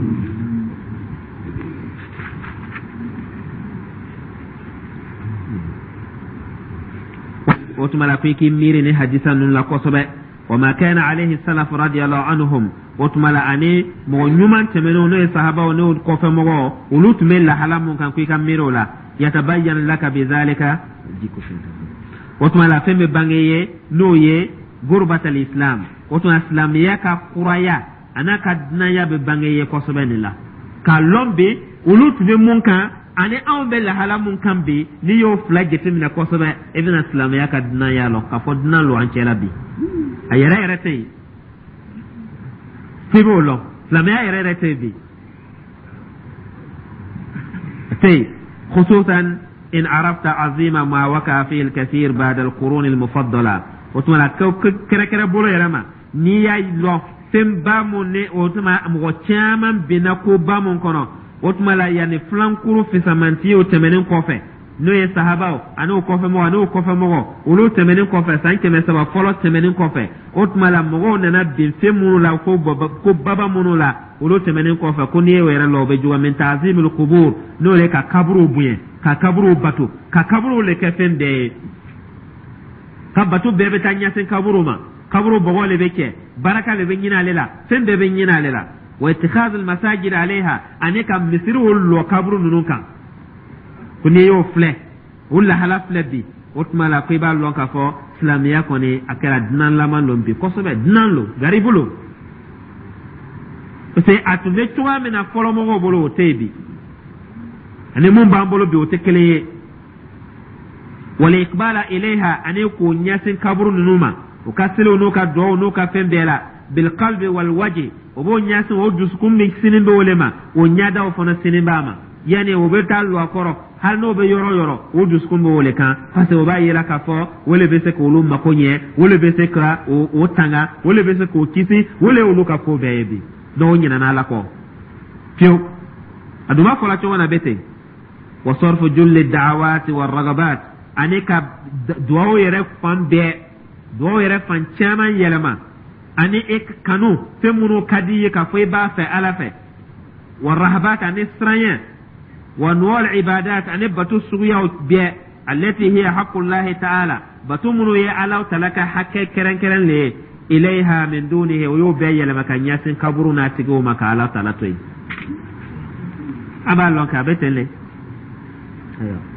O tuma la ko i k'i miiri ni hadisa ninnu la kosɛbɛ. Wa ma kana alayhi salaf radiyallahu anhum. O tuma la ani mɔgɔ ɲuman tɛmɛnenw, n'o ye sahabaw n'o kɔfɛmɔgɔw, olu tun bɛ lahala mun kan, ko i ka miiri o la. Yatabayyan laka bizalika. O tuma la fɛn bɛ bange ye, n'o ye gurbatal islam. O tuma silamɛya ka kuraya. A n'a ka dunanya bɛ bange ye kosɛbɛ nin la, k'a lɔn bi olu tun bɛ mun kan ani anw bɛ lahala mun kan bi. N'i y'o fila jateminɛ kosɛbɛ, i bɛna silamɛya ka dunanya lɔn, k'a fɔ dunan lo an cɛla bi. A yɛrɛ yɛrɛ tɛ yen f'i b'o lɔn. Silamɛya yɛrɛ yɛrɛ tɛ yen bi, a tɛ yen, khususan in arafta azima ma waka fi al-kathir ba'da al-qurun al-mufaddala. O tuma la, kɛrɛkɛrɛ bolo yɛrɛ ma, n'i y'a lɔn fɛnba mun ni o tuma mɔgɔ caman binna koba mun kɔnɔ, o tuma la yanni filankuru fisamantiyew tɛmɛnen kɔfɛ, n'o ye sahabaw ani o kɔfɛmɔgɔ ani o kɔfɛmɔgɔ, olu tɛmɛnen kɔfɛ, san 300 fɔlɔ tɛmɛnen kɔfɛ, o tuma la mɔgɔw nana bin fɛn minnu la, ko baba minnu la, olu tɛmɛnen kɔfɛ, ko n'i y'o yɛrɛ lɔn, o bɛ juguya. Min ta'zimil qubur, n'o ye ka kaburuw bonya, ka kaburuw bato, ka kaburuw le kɛ fɛn bɛɛ ye, ka bato bɛɛ bɛ taa ɲɛsin kaburu ma, kaburu bɔgɔ le bɛ cɛ, baraka le bɛ ɲini ale la, fɛn bɛɛ bɛ ɲini ale la. Wa ittikhadul masajid alayha, ani ka misiriw lɔ kaburu ninnu kan. Ko n'i y'o filɛ, o lahala filɛ bi, o tuma la ko i b'a lɔn k'a fɔ silamɛya kɔni a kɛra dunanlama lon bi kosɛbɛ, dunan lo, garibu lo, parce que a tun bɛ cogoya min na fɔlɔmɔgɔw bolo, o tɛ yen bi, ani mun b'an bolo bi, o tɛ kelen ye. Wal iqbala ilayha, ani k'o ɲɛsin kaburu ninnu ma, u ka seliw n'u ka duwawu n'u ka fɛn bɛɛ la, bilqalbi wal wajhi, o b'o ɲɛsin, o dusukun min sini b'o le ma, o ɲɛdaw fana sini b'a ma. Yanni o bɛ taa lɔ a kɔrɔ, hali n'o bɛ yɔrɔ yɔrɔ, o dusukun b'o le kan, parce que o b'a yira k'a fɔ o le bɛ se k'olu mako ɲɛ, o le bɛ se ka o tanga, o le bɛ se k'o kisi, o le y'olu ka ko bɛɛ ye bi. Donc o ɲinɛna Ala kɔ fiyewu. A dun b'a fɔla cogo na bɛ ten. Wa sarfu julli da'awati wa ragabat, ani ka duwawu yɛrɛ fan bɛɛ, duwawu yɛrɛ fan caman yɛlɛma, ani e kanu fɛn minnu ka di i ye k'a fɔ i b'a fɛ Ala fɛ, wa rahabat, ani siranya, wa nuwal ibadat, ani bato suguyaw bɛɛ, allati hiya haqqullahi ta'ala, bato minnu ye Ala tala ka hakɛ kɛrɛnkɛrɛn le ye, ilayha min dunihi, o y'o bɛɛ yɛlɛma ka ɲɛsin kaburu n'a tigiw ma, ka Ala tala to yen. A b'a lɔn kɛ a bɛ ten le.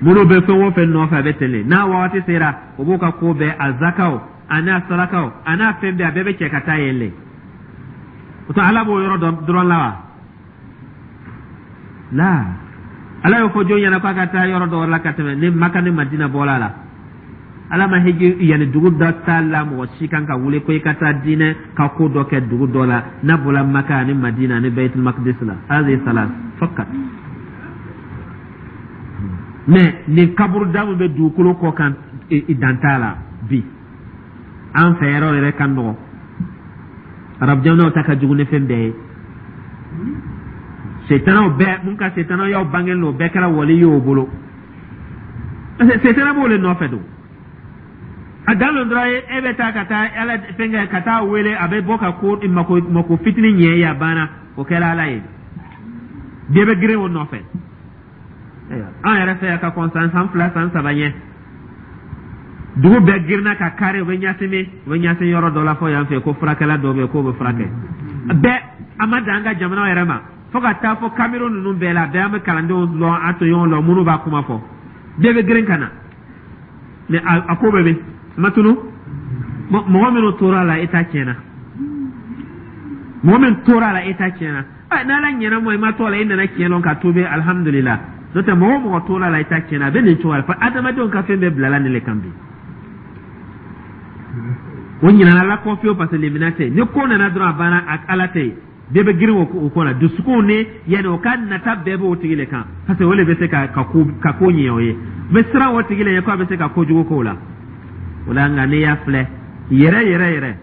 Minnu bɛ fɛn o fɛn nɔfɛ, a bɛ ten le. N'a wagati sera, o b'u ka ko bɛɛ, a zakaw a n'a sarakaw a n'a fɛn bɛɛ, a bɛɛ bɛ cɛ ka taa yen le. O tɛ Ala b'o yɔrɔ dɔrɔn la wa? La, Ala y'o fɔ jɔn ɲɛna k'a ka taa yɔrɔ dɔ la ka tɛmɛ ni Maka ni Madina bɔla la? Ala ma hiji yanni dugu dɔ t'a la, mɔgɔ si kan ka wuli ko i ka taa diinɛ ka ko dɔ kɛ dugu dɔ la n'a bɔla Maka ani Madina ani Baitul Maqdis la. Hadhihi salas fakat. Mais nin kaburuda min bɛ dugukolo kɔ kan, dan t'a la bi. An fɛ yɔrɔ yɛrɛ ka nɔgɔ, arabu jamanaw ta ka jugu ni fɛn bɛɛ ye. Setanaw bɛɛ mun ka setanaw y'aw bangelen don, o bɛɛ kɛra wali ye o bolo, parce que setana b'o le nɔfɛ don. A dan don dɔrɔn, e bɛ taa ka taa Ala fɛnkɛ, ka taa wele, a bɛ bɔ ka ko mako mako fitinin ɲɛ ye, a banna, o kɛra Ala ye. Bɛɛ bɛ girin o nɔfɛ. An yɛrɛ fɛ yan, ka kɔn san 2, san 3 ɲɛ, dugu bɛɛ girinna ka kari, u bɛ ɲasin min, u bɛ ɲasin yɔrɔ dɔ la fɔ yan fɛ, ko furakɛla dɔ bɛ yen k'o bɛ furakɛ bɛɛ. A ma dan an ka jamana yɛrɛ ma, fo ka taa fɔ Cameroun ninnu bɛɛ la, bɛɛ an bɛ kalandenw lɔn, an tɔɲɔgɔnw lɔn, minnu b'a kuma fɔ, bɛɛ bɛ girin ka na. Mais a ko bɛɛ bɛ ma tunu. Mɔgɔ minnu tora a la, i ta tiɲɛna. Mɔgɔ min tora a la, i ta tiɲɛna. N'Ala ɲɛna mɔ, i ma to a la, i nana tiɲɛ lɔn ka tuubi, alhamdulillah. N'o tɛ, mɔgɔ o mɔgɔ tora a la, i ta tiɲɛna. A bɛ nin cogo la fo adamadenw ka fɛn bɛɛ bilala nin le kan bi. O ɲinana Ala kɔ fiyewu, parce que lemina tɛ. Ni ko nana dɔrɔn, a banna, Ala tɛ yen. Bɛɛ bɛ girin o ko la, dusukun ni yanni o ka nata bɛɛ b'o tigi le kan, parce que o le bɛ se ka ko ɲɛ o ye. U bɛ siran o tigi le ɲɛ ko a bɛ se ka kojugu k'o la. O la nka n'i y'a filɛ yɛrɛ yɛrɛ yɛrɛ,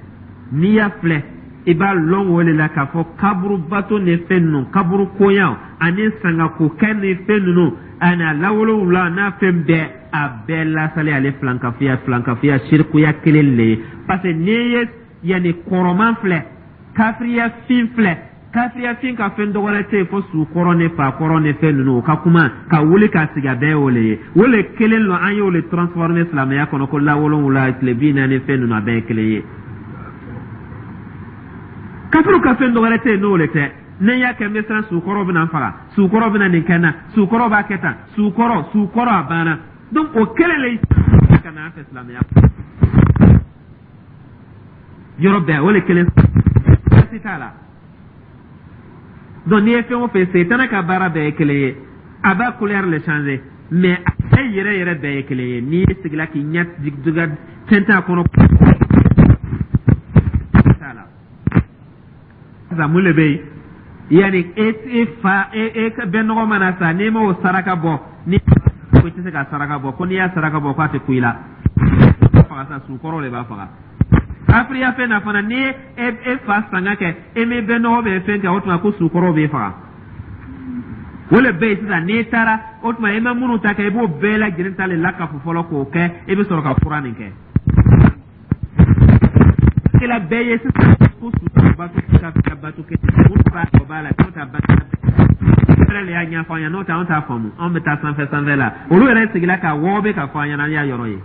n'i y'a filɛ, i b'a lɔn o de la k'a fɔ kaburu bato ni fɛn ninnu, kaburu koɲaw ani sangako kɛ ni fɛn ninnu ani a lawolowula n'a fɛn bɛɛ, a bɛɛ lasali ale filankafoya sirikuya kelen le ye. Parce que n'i ye yanni kɔrɔman filɛ, kafiriya fin filɛ, kafiriya fin ka fɛn dɔgɔrɛ tɛ yen fo sukɔrɔ ni fakɔrɔ ni fɛn ninnu, o ka kuma ka wuli k'a sigi, a bɛɛ y'o le ye. O le kelen lɔ, an y'o le transformer silamɛya kɔnɔ ko lawolowula, tile 40, fɛn ninnu, a bɛɛ ye kelen ye. Kafiriw ka fɛn dɔwɛrɛ tɛ yen n'o le tɛ. Ne y'a kɛ, n bɛ siran sukɔrɔ bɛna n faga, sukɔrɔ bɛna nin kɛ n na, sukɔrɔ b'a kɛ tan, sukɔrɔ, sukɔrɔ, a banna. Donc o kelen le ka na an fɛ silamɛya yɔrɔ bɛɛ, o le kelen, baasi t'a la. Donc n'i ye fɛn o fɛn, setana ka baara bɛɛ ye kelen ye. A b'a couleur le changer, mais a fɛn yɛrɛ yɛrɛ bɛɛ ye kelen ye. N'i sigila k'i ɲɛ jigin fɛn t'a kɔnɔ t'a la. Sisan mun de bɛ yen? Yanni e e fa e e bɛnɔgɔ mana sa, n'i m'o saraka bɔ, ni ko i tɛ se ka saraka bɔ, ko n'i y'a saraka bɔ k'a tɛ ku i la. Faga sa, sukɔrɔ de b'a faga. Kafiriya fɛn na fana, n'i ye e fa sanga kɛ, e m'i bɛnɔgɔ bɛ fɛn kɛ, o tuma ko sukɔrɔ b'e faga. O le bɛ yen sisan. N'i taara, o tuma i ma minnu ta kɛ, i b'o bɛɛ lajɛlen ta le lakafu fɔlɔ k'o kɛ, i bɛ sɔrɔ ka fura nin kɛ. Kila bɛɛ ye sisan ko su bato ka bato kɛ, mun b'a o b'a la, n'o ta bato yɛrɛ le y'a ɲɛfɔ an ɲɛna, n'o tɛ anw t'a faamu. Anw bɛ taa sanfɛ sanfɛ la, olu yɛrɛ sigila ka wɔgɔbɛ ka fɔ an ɲɛna, an y'a yɔrɔ ye.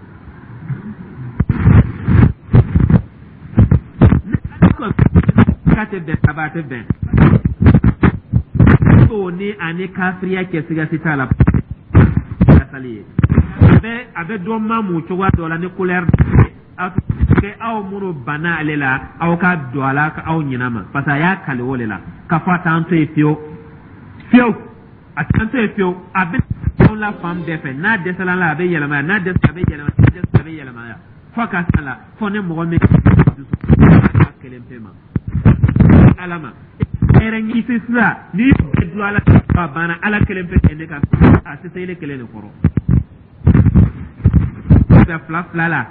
K'a tɛ bɛn kaba tɛ bɛn o ni ani kafiriya cɛ, siga si t'a la. Sali ye a bɛ dɔ mamu cogoya dɔ la ni couleur aw kɛ. Aw minnu banna ale la, aw ka don a la aw ɲinɛ ma, parce que a y'a kali o de la k'a fɔ a t'an to yen fiyewu fiyewu, a t'an to yen fiyewu. A bɛ anw la fan bɛɛ fɛ. N'a dɛsɛla la, a bɛ yɛlɛma yan. N'a dɛsɛla, a bɛ yɛlɛma. N'a dɛsɛla, a bɛ yɛlɛma yan, fo ka s'a la fo ni mɔgɔ min dusu kelen pe ma ala ma hɛrɛ ɲini sisan, n'i y'o bɛɛ dulon ala a banna, ala kelen pe ne ka a tɛ se ile kelen de kɔrɔ fila fila la.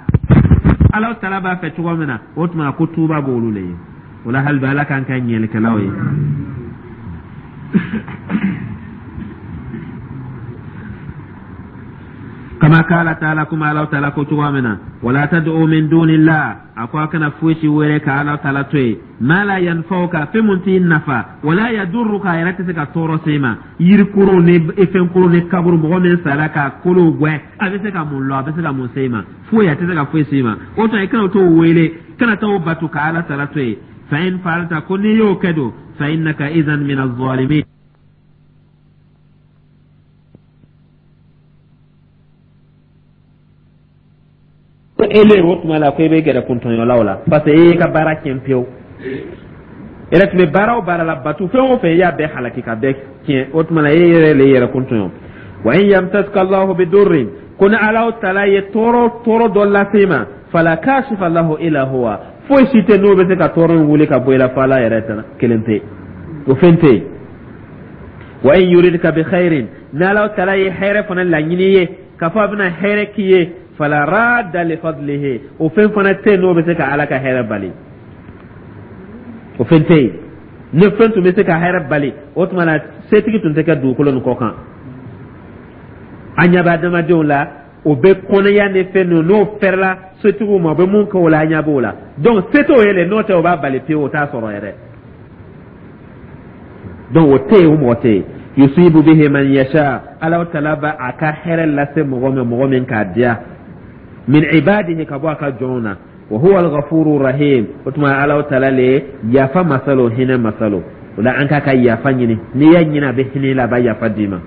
Ala taala b'a fɛ cogo min na, o tuma ko tuuba b'olu le ye. O la hali bi, Ala k'an kɛ ɲɛlikɛlaw ye. Kama kala taala, kuma Ala taala ko cogo min na: wala tad'u min dunillah, a ko a kana foyi si wele ka Ala taala to yen, ma la yanfa'uka, fɛn mun t'i nafa, wala yadurruka, a yɛrɛ tɛ se ka tɔɔrɔ se i ma. Yirikuru ni fɛnkuru ni kaburu, mɔgɔ min sara ka kolow gwɛn, a bɛ se ka mun lɔ? A bɛ se ka mun se i ma? Foyi, a tɛ se ka foyi se i ma. O tuma i kana t'o wele, kana t'o bato ka Ala taala to yen. Fa in fa'alta, ko n'i y'o kɛ don, fa innaka idhan min az-zalimin. Ko ele o tuma la ko i bɛ gɛrɛ kuntɔɲɔlaw la, parce que e y'i ka baara tiɲɛ pewu. E yɛrɛ tun bɛ baara o baara la, batu fɛn o fɛn, i y'a bɛɛ halaki ka bɛɛ tiɲɛ. O tuma la e yɛrɛ le yɛrɛ kuntɔɲɔ. Wa in yamsaska Allahu bidurrin, ko ni Ala taala ye tɔɔrɔ tɔɔrɔ dɔ lase i ma, fala kashifa lahu illa huwa, foyi si tɛ n'o bɛ se ka tɔɔrɔ in wuli ka bɔ i la fo Ala yɛrɛ kelen pe, o fɛn tɛ yen. Wa in yuridka bi khairin, ni Ala taala ye hɛrɛ fana laɲini ye, k'a fɔ a bɛna hɛrɛ k'i ye, fala radda li fadlihi, o fɛn fana tɛ yen n'o bɛ se ka Ala ka hɛrɛ bali, o fɛn tɛ yen. Ni fɛn tun bɛ se ka hɛrɛ bali, o tuma na setigi tun tɛ kɛ dugukolo nin kɔ kan. An ɲɛ bɛ adamadenw la, o bɛ kɔnɔya ni fɛn ninnu, n'o fɛrɛla setigiw ma, o bɛ mun kɛ o la, an ɲɛ b'o la. Donc se t'o ye le, n'o tɛ o b'a bali pewu, o t'a sɔrɔ yɛrɛ. Donc o tɛ yen, o mɔgɔ tɛ yen. Yusibu bihi man yasha, Ala taala b'a a ka hɛrɛ lase mɔgɔ min, mɔgɔ min k'a diya, min ibadihi, ka bɔ a ka jɔnw na. Wa huwa al-ghafuru rahim, o tuma Ala taala le yafa masa lo, hinɛ masa lo. O la an k'a ka yafa ɲini. N'i y'a ɲini, a bɛ hinɛ i la, a b'a yafa d'i ma.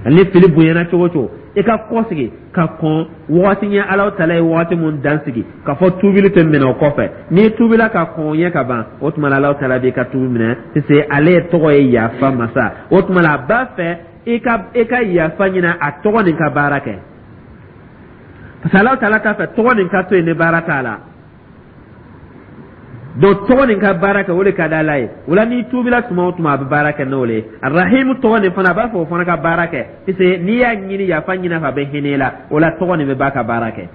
Ni fili bonyana cogo o cogo, i ka kɔsegi ka kɔn wagati ɲɛ. Ala taala ye wagati mun dan sigi k'a fɔ tuubili tɛ minɛ o kɔfɛ, n'i tuubila ka kɔn o ɲɛ ka ban, o tuma la Ala taala b'i ka tuubi minɛ, parce que ale tɔgɔ ye yafa masa. O tuma la a b'a fɛ i ka yafa ɲini a tɔgɔ nin ka baara kɛ, parce que Ala taala t'a fɛ tɔgɔ nin ka to yen ni baara t'a la. Donc tɔgɔ nin ka baara kɛ, o de ka di Ala ye. O la n'i tuubila tuma o tuma, a bɛ baara kɛ n'o le ye. Arahimu tɔgɔ nin fana, a b'a fɛ o fana ka baara kɛ, parce que n'i y'a ɲini, yafa ɲini a fɛ, a bɛ hinɛ i la. O la tɔgɔ nin bɛ ba ka baara kɛ.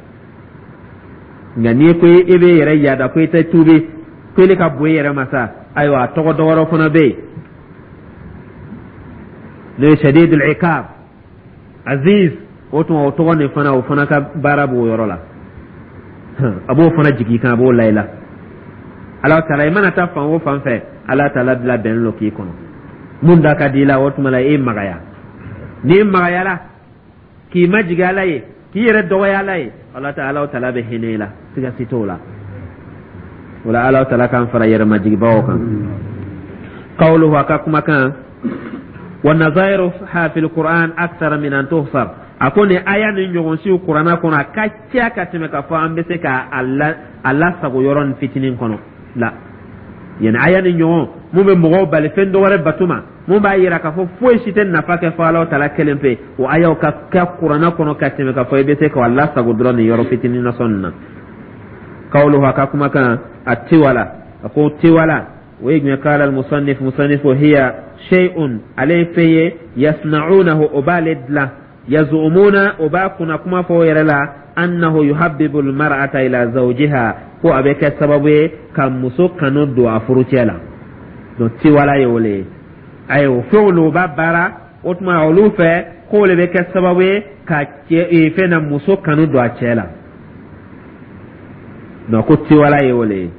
Nka n'i ko i bɛ yɛrɛ yaada ko i tɛ tuubi, ko ile ka bon i yɛrɛ ma sa, ayiwa, a tɔgɔ dɔ wɛrɛ fana bɛ yen, n'o ye shadidul iqab, aziz. O tuma o tɔgɔ nin fana, o fana ka baara b'o yɔrɔ la, a b'o fana jigin kan, a b'o la i la. Ala taala, i mana taa fan o fan fɛ, Ala taala bila bɛn lo k'i kɔnɔ. Mun da ka di i la, o tuma la e magaya. N'i magayara k'i majigin Ala ye, k'i yɛrɛ dɔgɔya Ala ye, Ala ta Ala taala bɛ hinɛ i la, siga si t'o la. O la Ala taala k'an fara yɛrɛmajigibaw kan. Qawluhu, a ka kumakan, wa nazairuha fil Qur'an akthar min an tuhsar, a ko nin aya ni ɲɔgɔn siw Kurana kɔnɔ, a ka ca ka tɛmɛ k'a fɔ an bɛ se ka a lasago yɔrɔ nin fitinin kɔnɔ la. Yani aya ni ɲɔgɔn mun bɛ mɔgɔw bali fɛn dɔ wɛrɛ bato ma. Mun b'a yira k'a fɔ foyi si tɛ nafa kɛ fo Ala taala kelen pe, o ayaw ka kɛ Kuranɛ kɔnɔ ka tɛmɛ, k'a fɔ i bɛ se k'a lasago dɔrɔn nin yɔrɔ fitinin nasɔn nin na. Kawuluhu, a ka kumakan, a tiwala, a ko tiwala o ye jumɛn? Qala al-musannif, musannif, hiya shay'un, ale ye fɛn ye, yasna'unahu, o b'ale dilan, yazumuna, o b'a kunna kuma fɔ o yɛrɛ la, annahu yuhabbibu almar'ata ila zawjiha, ko a bɛ kɛ sababu ye ka muso kanu don a furucɛ la. Donc tiwala ye o le ye. Ayiwa, fɛnw lo, o b'a baara, o tuma olu fɛ k'o le bɛ kɛ sababu ye ka cɛ fɛn na muso kanu don a cɛ la. Donc ko tiwala ye o le ye.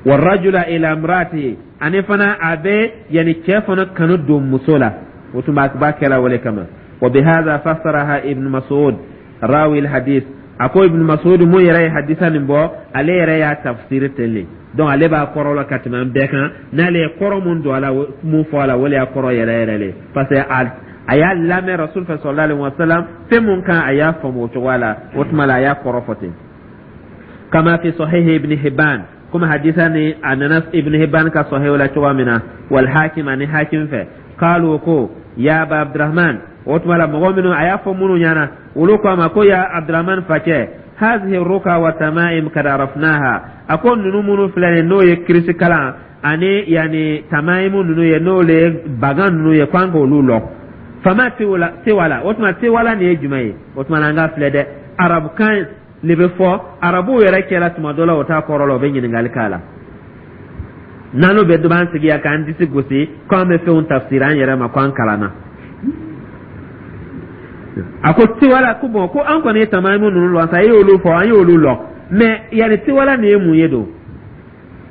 Warajula ila imraati, ani fana a bɛ yanni cɛ fana kanu don muso la, o tuma a b'a kɛla o le kama. Wa bihadha fassaraha Ibn Mas'ud rawi alhadith. A ko Ibn Mas'ud mun yɛrɛ ye hadisa nin bɔ, ale yɛrɛ y'a tafsiri ten le. Donc ale b'a kɔrɔ la ka tɛmɛ an bɛɛ kan. N'ale ye kɔrɔ mun don a la, mun fɔ a la, o le y'a kɔrɔ yɛrɛ yɛrɛ le, parce que a y'a lamɛn Rasul fɛ sallallahu alaihi wasallam fɛn mun kan, a y'a faamu o cogoya la. O tuma la, a y'a kɔrɔ fɔ ten. Kama fi sahihi Ibn Hibban, komi hadisa ni a nana Ibn Hibban ka sahihu la cogoya min na, wal Hakim, ani Hakim fɛ. Qalu, ko ya Aba Abdurahman, o tuma la mɔgɔ minnu a y'a fɔ minnu ɲɛna, olu ko a ma ko ya Abdurahman facɛ, hazihi ruka wa tamaim kad arafnaha. A ko ninnu minnu filɛ nin, n'o ye kirisi kalan ani yanni tamaimu ninnu ye, n'o le ye bagan ninnu ye, ko an k'olu lɔn. Fama tiwala, o tuma tiwala nin ye jumɛn ye? O tuma an ka filɛ dɛ, arabukan le bɛ fɔ arabuw yɛrɛ cɛla tuma dɔ la, o t'a kɔrɔ la, o bɛ ɲininkali k'a la. N'an bɛ dɔ b'an sigi yan k'an disi gosi k'an bɛ fɛnw tafsiri an yɛrɛ ma, ko an kalanna. A ko tiwala, ko bon, ko an kɔni ye tamayimu ninnu lɔn sa, e y'olu fɔ, an y'olu lɔn, mais yanni tiwala nin ye mun ye don?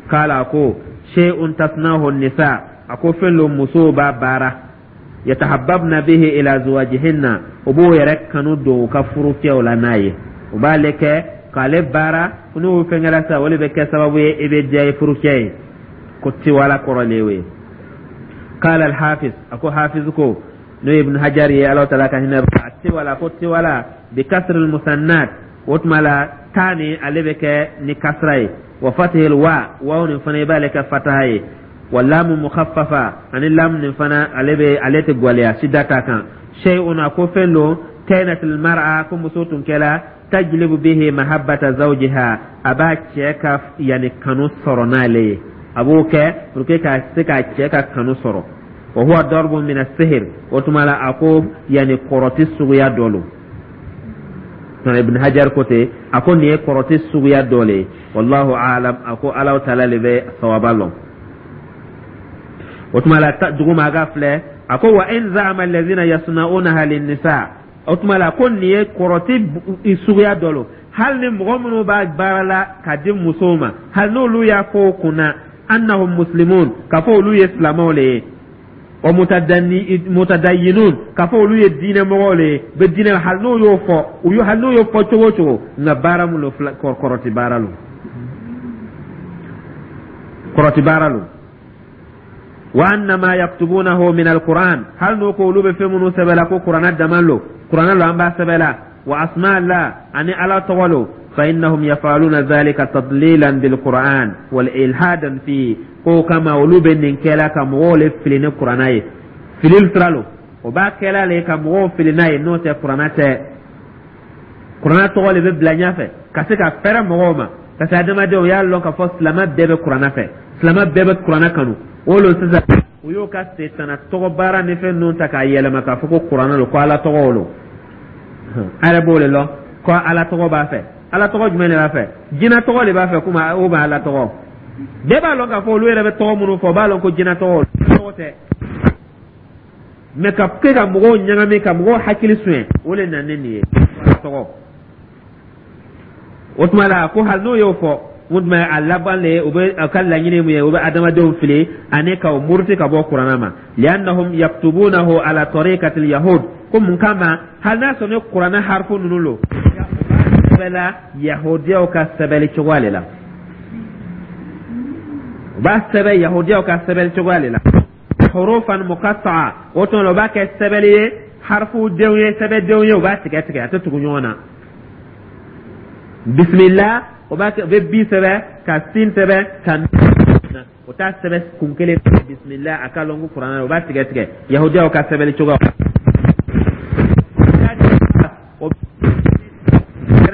K'ala ko shay'un tasnahu nisa, a ko fɛn lo musow b'a baara, yatahabbabna bihi ila zuwajihinna, o b'o yɛrɛ kanu don u ka furucɛw la n'a ye. U b'ale kɛ k'ale baara, n'o fɛn kɛra sa, o de bɛ kɛ sababu ye i bɛ diya i furucɛ ye. Ko tiwala kɔrɔ le y'o ye. Qala al-hafiz, a ko hafiz ko, n'o ye Ibn Hajar ye, Ala taala ka hinɛ a tiwala, ko tiwala bi kasr al-musannat, o tuma la taa ni ale bɛ kɛ ni kasra ye, wa fatihil wa, waw nin fana i b'ale kɛ fataha ye, wa lamu mukhaffafa, ani lamu nin fana ale bɛ ale tɛ gwɛlɛya sida ta kan. Shay'un, a ko fɛn don, kanat al-mar'a, ko muso tun kɛla, tajlibu bihi mahabbata zawjiha, a b'a cɛ ka yani kanu sɔrɔ n'ale ye, a b'o kɛ pour que ka se k'a cɛ ka kanu sɔrɔ. Wa huwa darbun min as-sihr, o tuma la a ko yani kɔrɔti suguya dɔ lo. Ibn Hajar ko ten, a ko nin ye kɔrɔti suguya dɔ le ye. Wallahu alam, a ko Ala taala le bɛ sawaba lɔn. O tuma la duguma a ka filɛ, a ko wa in za'ama allazina yasna'unaha lin-nisa, o tuma la ko nin ye kɔrɔti suguya dɔ lo, hali ni mɔgɔ minnu b'a baara la ka di musow ma, hali n'olu y'a fɔ o kunna, annahum muslimun, k'a fɔ olu ye silamɛw le ye, wa mutadayyinun, k'a fɔ olu ye diinɛ mɔgɔw le ye, bɛ diinɛ, hali n'o y'o fɔ, u y'o hali n'o y'o fɔ cogo o cogo, nka baara mun lo, kɔrɔti baara lo, kɔrɔti baara lo. Wa annama yaktubunahu min alquran, hali n'o ko olu bɛ fɛn minnu sɛbɛn la ko Kuranɛ dama lo, Kuranɛ lo an b'a sɛbɛn la, wa asma la, ani Ala tɔgɔ lo, fa innahum yafaluna dhalika tadlilan bil Qur'an wal ilhadan fi, ko kama olu bɛ nin kɛla ka mɔgɔw le fili ni Kuranɛ ye, filili sira lo, o b'a kɛla le ka mɔgɔw fili n'a ye, n'o tɛ Kuranɛ tɛ. Kuranɛ tɔgɔ le bɛ bila ɲɛfɛ ka se ka fɛrɛ mɔgɔw ma, parce que adamadenw y'a lɔn k'a fɔ silamɛ bɛɛ bɛ Kuranɛ fɛ, silamɛ bɛɛ bɛ Kuranɛ kanu. O lo sisan u y'o ka setana tɔgɔ baara ni fɛn ninnu ta k'a yɛlɛma k'a fɔ ko Kuranɛ lo, ko Ala tɔgɔ lo. A yɛrɛ b'o de lɔn ko Ala tɔgɔ b'a fɛ. Ala tɔgɔ jumɛn de b'a fɛ? Jinɛ tɔgɔ de b'a fɛ. Komi o bɛ Ala tɔgɔ, bɛɛ b'a lɔn k'a fɔ olu yɛrɛ bɛ tɔgɔ minnu fɔ, o b'a lɔn ko jinɛ tɔgɔ tɛ, mais ka kɛ ka mɔgɔw ɲagami, ka mɔgɔw hakili suɲɛ, o de nana ni nin ye Ala tɔgɔ. O tuma la ko hali n'o y'o fɔ, mun tuma a laban le, u bɛ a ka laɲini mun ye, u bɛ adamadenw fili ani ka u muruti ka bɔ Kuranɛ ma, li'annahum yaktubunahu ala tariqati yahud, ko mun kama, hali n'a sɔrɔ ni Kuranɛ harifu ninnu lo, sɛbɛla yahudiyaw ka sɛbɛnni cogoya le la, u b'a sɛbɛn yahudiyaw ka sɛbɛnni cogoya le la, hurufan muqatta'a, o tuma la u b'a kɛ sɛbɛnni ye, harifu denw ye, sɛbɛndenw ye, u b'a tigɛ tigɛ, a tɛ tugu ɲɔgɔn na. Bisimila, o b'a kɛ, u bɛ bi sɛbɛn ka sin sɛbɛn ka O t'a sɛbɛn kun kelen bisimila, a k'a lɔn ko kuranɛ, o b'a tigɛ tigɛ yahudiyaw ka sɛbɛnni cogoya o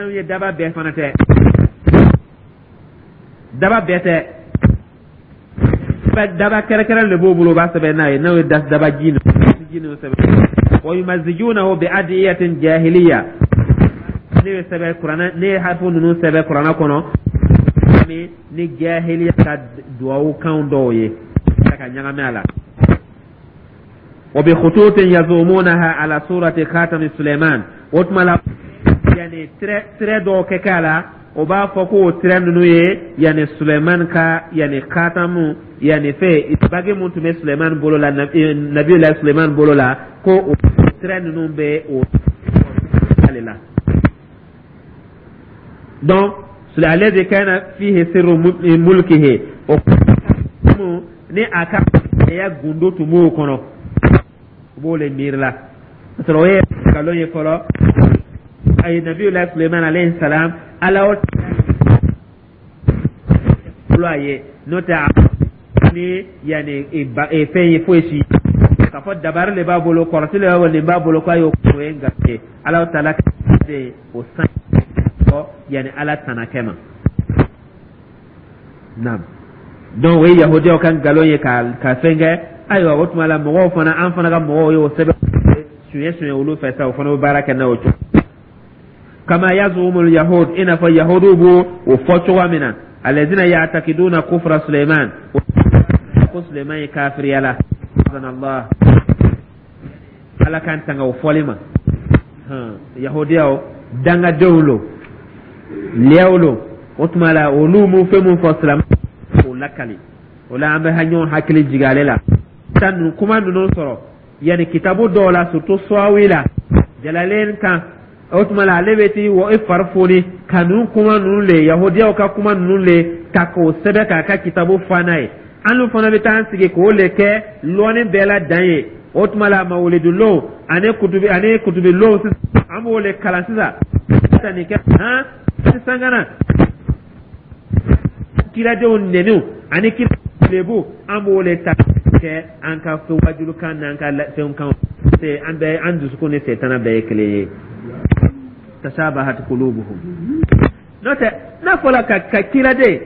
ye. Daba bɛɛ fana tɛ, daba bɛɛ tɛ, daba kɛrɛkɛrɛ de b'o bolo, o b'a sɛbɛn n'a ye, n'o ye daba ji ninnu sɛbɛn. Wa yumazijunahu bi adiyatin jahiliya. Ne ye sɛbɛn kuranɛ, ne ye harfu ninnu sɛbɛn kuranɛ kɔnɔ ni jahiliya ka duwawu kan dɔw ye ka ɲagami a la. Wa bi khututin yazumunaha ala surati khatami Suleiman. O tuma la, yani trait dɔw kɛ k'a la, o b'a fɔ ko o trait ninnu ye yani Suleiman ka yani khatamu, yani fɛ bague mun tun bɛ Suleiman bolo la, nabiyulahi Suleiman bolo la, ko o trait ninnu bɛ o ale la. Donc alladhi kana fihi sirru mulkihi, o ni a ka ya gundo tun b'o kɔnɔ, u b'o le miiri la. Sɔrɔ o ye nkalon ye fɔlɔ. Ayi, nabiyulahi Suleiman alayhi salam, Ala o bolo a ye, n'o tɛ ni yanni fɛn ye foyi si k'a fɔ dabari de b'a bolo, kɔrɔti de b'a bolo, nin b'a bolo, k'a y'o, o ye nkalon ye. Ala taala de o san fɔ yanni Ala tana kɛ ma. Naam, donc o ye yahudiyaw ka nkalon ye ka fɛn kɛ. Ayiwa, o tuma la, mɔgɔw fana, an fana ka mɔgɔw y'o sɛbɛn suɲɛ suɲɛ olu fɛ sa, o fana bɛ baara kɛ n'a o cogo. Kama yazumul yahud, i n'a fɔ yahudiw b'o o fɔ cogoya min na, alladhina ya'taqiduna kufra Suleiman, ko Suleiman ye kafiriya la. Allah Ala k'an tanga o fɔli ma. Yahudiyaw dangadenw lo, liyaw lo. O tuma la, olu mu fɛn mun fɔ silamɛ k'o lakali, o la an bɛ ɲɔgɔn hakili jigin ale la. Ta ninnu kuma ninnu sɔrɔ yanni kitabu dɔw la, surtout Sɔwi la, Jalalen kan. O tuma la, ale bɛ t'i wɔ i fari foni ka ninnu kuma ninnu le, yahudiyaw ka kuma ninnu le ta k'o sɛbɛn k'a ka kitabu fa n'a ye. An fana bɛ taa an sigi k'o le kɛ lɔnni bɛɛ la dan ye. O tuma la, mawulidulon ani kutubi ani kutubilon, an b'o le kalan sisan ka nin kɛ han sisan, ka na kiradenw nɛniw ani kira lebu, an b'o le ta kɛ an ka fɛn wajulukan n'an ka fɛnw kan. An bɛɛ, an dusukun ni setana bɛɛ ye kelen ye. Tashabahat qulubuhum. N'o tɛ, n'a fɔra ka kiraden,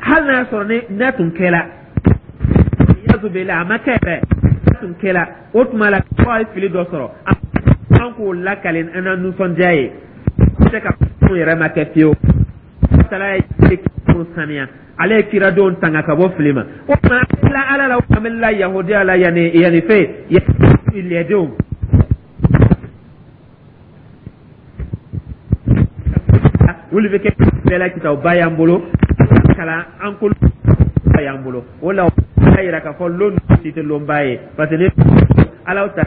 hali n'a y'a sɔrɔ ni n'a tun kɛla yazubila, a ma kɛ yɛrɛ, n'a tun kɛla, o tuma la ko a ye fili dɔ sɔrɔ, an k'o lakale an na nisɔndiya ye. Se ka kun yɛrɛ ma kɛ fiyewu. Tala ye saniya, ale ye kiradenw tanga ka bɔ fili ma. O tuma la, Ala la, an bɛ la yahudiya la, yanni fɛ lɛdenw olu bɛ kɛ bɛɛ la kitabuba y'an bolo, kalan an kolo y'an bolo. O la, o b'a yira k'a fɔ lon si tɛ lonba ye, parce que ni Ala ta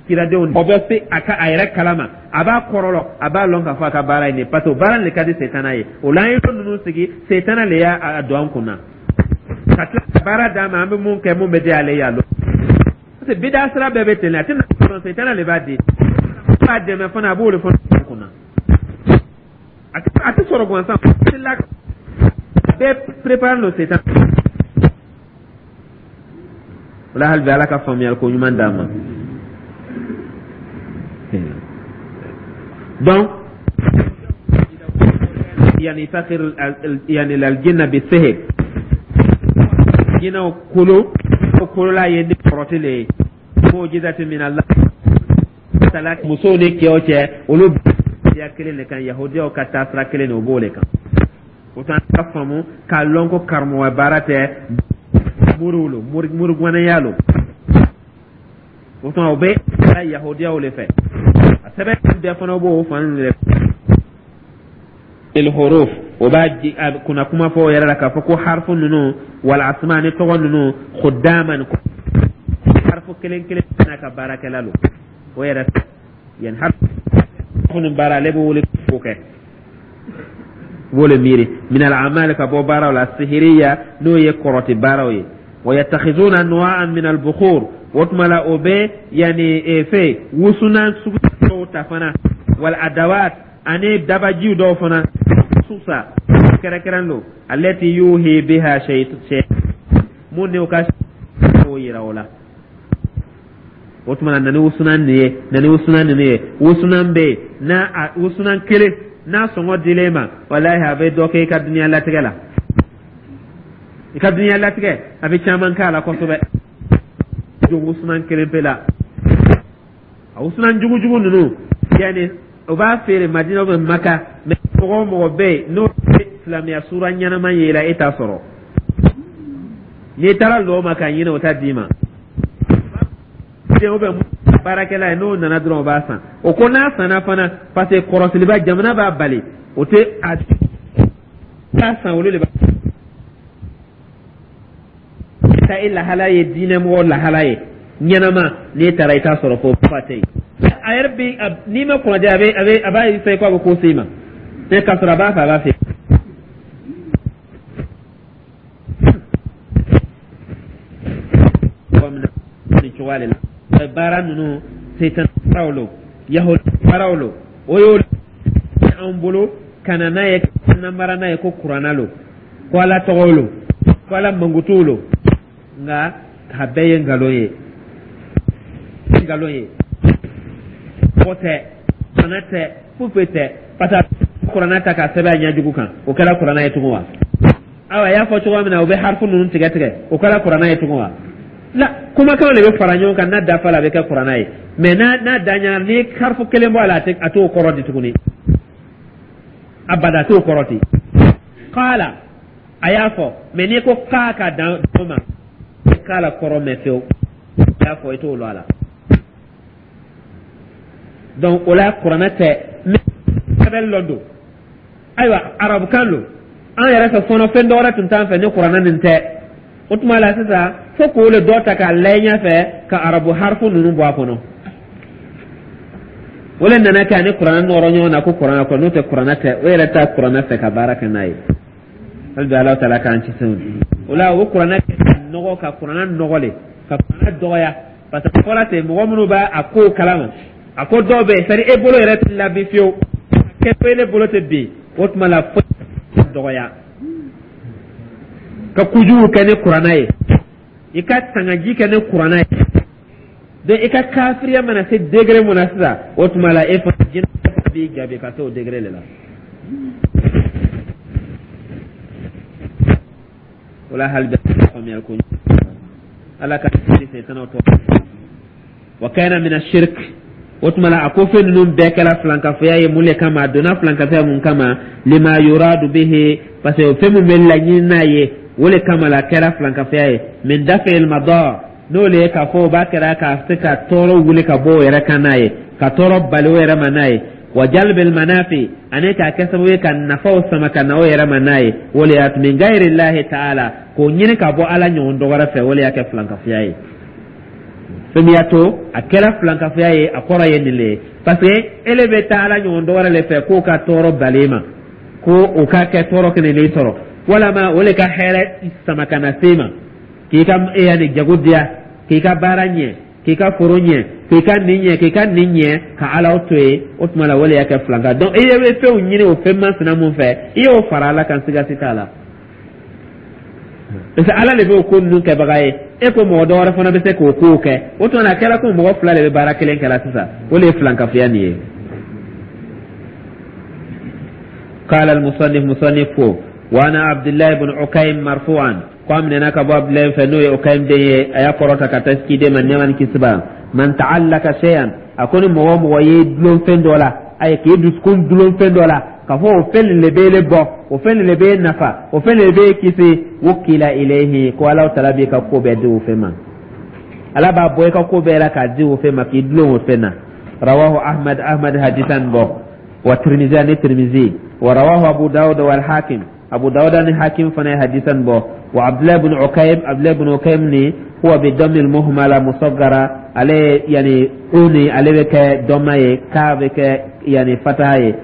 kiradenw, o bɛ se a ka a yɛrɛ kalama, a b'a kɔrɔlɔ, a b'a lɔn k'a fɔ a ka baara ye nin ye, parce que o baara de ka di setana ye. O la, an ye lon ninnu sigi, setana le y'a don an kun na ka tila ka baara d'a ma. An bɛ mun kɛ, mun bɛ di ale y'a lɔn, parce que bida sira bɛɛ bɛ ten, a tɛna sɔrɔ, setana de b'a di, a b'a dɛmɛ fana, a b'o de fana kun na. A tɛ sɔrɔ gansan, a tɛ la, bɛɛ préparé lo setan o la. Hali bi, Ala ka faamuyali ko ɲuman d'an ma. Donc yani sakir yani aljinna bi sihir, jinɛw kolo kolola ye ni kɔrɔti le ye, mu'jizati min Allah tala. Musow ni cɛw cɛ, olu ya kelen de kan, yahudiyaw ka taasira kelen de, o b'o de kan. O tuma, an ka faamu k'a lɔn ko karamɔgɔ baara tɛ, moriw lo, morigwanaya lo. O tuma, o bɛ yahudiyaw de fɛ, a sɛbɛn bɛɛ fana b'o fan de الحروف. O b'a kunna kuma fɔ o yɛrɛ la k'a fɔ ko harfu ninnu wal asma ni tɔgɔ ninnu, khuddaman, harfu kelen kelen n'a ka baarakɛla lo. O yɛrɛ yan harfu nin baara, ale b'o wele k'o kɛ, b'o le miiri min al amal, ka bɔ baaraw la sihiriya, n'o ye kɔrɔti baaraw ye. Wa yattakhizuna anwa'an min al bukhur. O tuma la, o bɛ yani fɛ wusunan sugu dɔw ta fana, wal adawat, ani dabajiw dɔw fana susa. Kɛrɛkɛrɛn don allati yuhi biha shay mun ne o ka o yira o la. O tuma na, na ni wusulan nin ye, na ni wusulan ninnu ye. Wusulan bɛ yen n'a a wusulan kelen n'a sɔngɔ dilen ma, walahi, a bɛ dɔ kɛ i ka dunuya latigɛ la. I ka dunuya latigɛ, a bɛ caman k'a la kosɛbɛ. Don wusulan kelen pe la, a wusulan jugujugu ninnu, yanni o b'a feere Madina bɛ Maka, mɛ mɔgɔ o mɔgɔ bɛ yen n'o ye silamɛya sura ɲɛnama ye la, e t'a sɔrɔ. N'i taara lɔ ma k'a ɲini, o t'a d'i ma. O bɛ baarakɛla ye, n'o nana dɔrɔn, o b'a san. O ko n'a sanna fana, parce que kɔrɔsiliba jamana b'a bali, o tɛ a t'a san. Olu de b'a ta. E lahala ye diinɛmɔgɔ lahala ye ɲɛnama, n'i taara, i t'a sɔrɔ fo fa tɛ yen. A yɛrɛ bɛ, n'i ma kunnadiya, a b'a essayer ko a bɛ ko se i ma, mais k'a sɔrɔ a b'a fɛ, a b'a fɛ. Nin cogoya de la, baara ninnu, satan baaraw lo, yahudi baaraw lo, o y'o anw bolo ka na n'a ye, namara n'a ye ko kuranna lo, ko Ala tɔgɔ lo, ko Ala mankutuw lo. Nka a bɛɛ ye nkalon ye, nkalon ye. Mɔgɔ tɛ, kuranna tɛ, foyi foyi tɛ, parce que kuranna ta k'a sɛbɛn a ɲɛjugu kan, o kɛra kuranna ye tugun wa? Ayiwa, a y'a fɔ cogoya min na, u bɛ harifu ninnu tigɛ tigɛ, o kɛra kuranna ye tugun wa? La, kumakanw de bɛ fara ɲɔgɔn kan, n'a dafa la, a bɛ kɛ kuranna ye. Mɛ n'a da ɲaga, n'i ye harifu kelen bɔ a la, a t'o kɔrɔ di tuguni abada, a t'o kɔrɔ di. Kaala, a y'a fɔ, mɛ n'i ko k'a ka dan o ma, kaala kɔrɔ mɛn fewu, a y'a fɔ, i t'o lɔn a la. Donc o la, kuranna tɛ, mɛ sɛbɛn dɔ don. Ayiwa, arabukan don. An yɛrɛ fɛ fɔlɔ, fɛn dɔ wɛrɛ tun t'an fɛ ni kuranna nin tɛ. O tuma la sisan, fo k'o le dɔ ta k'a layɛ ɲɛfɛ, ka arabu harifu ninnu bɔ a kɔnɔ. O le nana kɛ ani kuranna nɔrɔ ɲɔgɔn na ko kuranna kɔ. N'o tɛ, kuranna tɛ. O yɛrɛ ta kuranna fɛ ka baara kɛ n'a ye. Hali bi, Ala taala k'an kisi o la. O kuranna nɔgɔ, ka kuranna nɔgɔ le, ka kuranna dɔgɔya, parce que fɔra ten, mɔgɔ minnu b'a a kow kalama, a ko dɔw bɛ yen, c'est à dire e bolo yɛrɛ tɛ labi fiyewu, kɛ e bolo tɛ bin. O tuma la, fo dɔgɔya ka kojugu kɛ ni kuranna ye, i ka tangaji kɛ ni kuranna ye. Donc i ka kafiriya mana se degré mun na sisan, o tuma la, e fana jinɛ b'i jaabi ka se o degré de la. O la, hali bɛ faamuyali ko, Ala ka setanaw tɔ wa kana min ashirk. O tuma la, a ko fɛn ninnu bɛɛ kɛra filankafoya ye. Mun le kama a donna filankafoya? Mun kama? Lima yuradu bihi, parce que fɛn min bɛ laɲini n'a ye, o le kama la kɛra filankafoya ye. Min daf'il madar, n'o le ye k'a fɔ o b'a kɛra ka se ka tɔɔrɔ wuli ka bɔ o yɛrɛ kan n'a ye, ka tɔɔrɔ bali o yɛrɛ ma n'a ye, wa jalbil manafi, ani k'a kɛ sababu ye ka nafaw sama ka na o yɛrɛ ma n'a ye. O le y'a to min gayiri lahi taala, k'o ɲini ka bɔ Ala ɲɔgɔn dɔ wɛrɛ fɛ, o le y'a kɛ filankafoya ye. Fɛn min y'a to a kɛra filankafoya ye, a kɔrɔ ye nin le ye, parce que ele bɛ taa Ala ɲɔgɔn dɔ wɛrɛ le fɛ k'o ka tɔɔrɔ bali ma, ko o ka kɛ tɔɔrɔ kelen de sɔrɔ, walama o le ka hɛrɛ sama ka na se ma, k'i ka yanni jago diya, k'i ka baara ɲɛ, k'i ka foro ɲɛ, k'i ka nin ɲɛ, k'i ka nin ɲɛ, ka Ala to yen. O tuma la, o le y'a kɛ filanka. Donc i bɛ fɛnw ɲini o fɛn masina mun fɛ, i y'o fara Ala kan, sigasi t'a la, parce que Ala de bɛ o ko ninnu kɛbaga ye. E ko mɔgɔ dɔ wɛrɛ fana bɛ se k'o kow kɛ. O tuma na, a kɛra ko mɔgɔ fila de bɛ baara kelen kɛla sisan. O de ye filankafoya nin ye. قال المصنف، مصنف: وعن عبد الله بن عكيم مرفوعا، ko a minɛna ka bɔ Abdulayi fɛ, n'o ye Ukaym den ye, a y'a kɔrɔta ka taa ciden ma, nɛɛma ni kisi b'a. Man ta'allaka shay'an, a ko ni mɔgɔ o mɔgɔ ye dulon fɛn dɔ la, ayi, k'i dusukun dulon fɛn dɔ la, k'a fɔ o fɛn nin de b'e bɔ, o fɛn nin de b'e nafa, o fɛn nin de b'e kisi, wukila ilayhi, ko Ala taala b'i ka ko bɛɛ di o fɛn ma. Ala b'a bɔ i ka ko bɛɛ la k'a di o fɛn ma, k'i dulon o fɛn na. Rawahu Ahmad, Ahmad hadisa nin bɔ, wa Tirmizi, ani Tirmizi, wa rawahu Abu Dawud wal Hakim, Abu Dawud ni Hakim fana ye hadisa nin bɔ. Wa Abdullah ibn Ukaym, Abdullah ibn Ukaym ni huwa bi dammi muhmala musaggara, ale yani uni ale bɛ kɛ dɔmma ye, k'a bɛ kɛ yani fataha ye.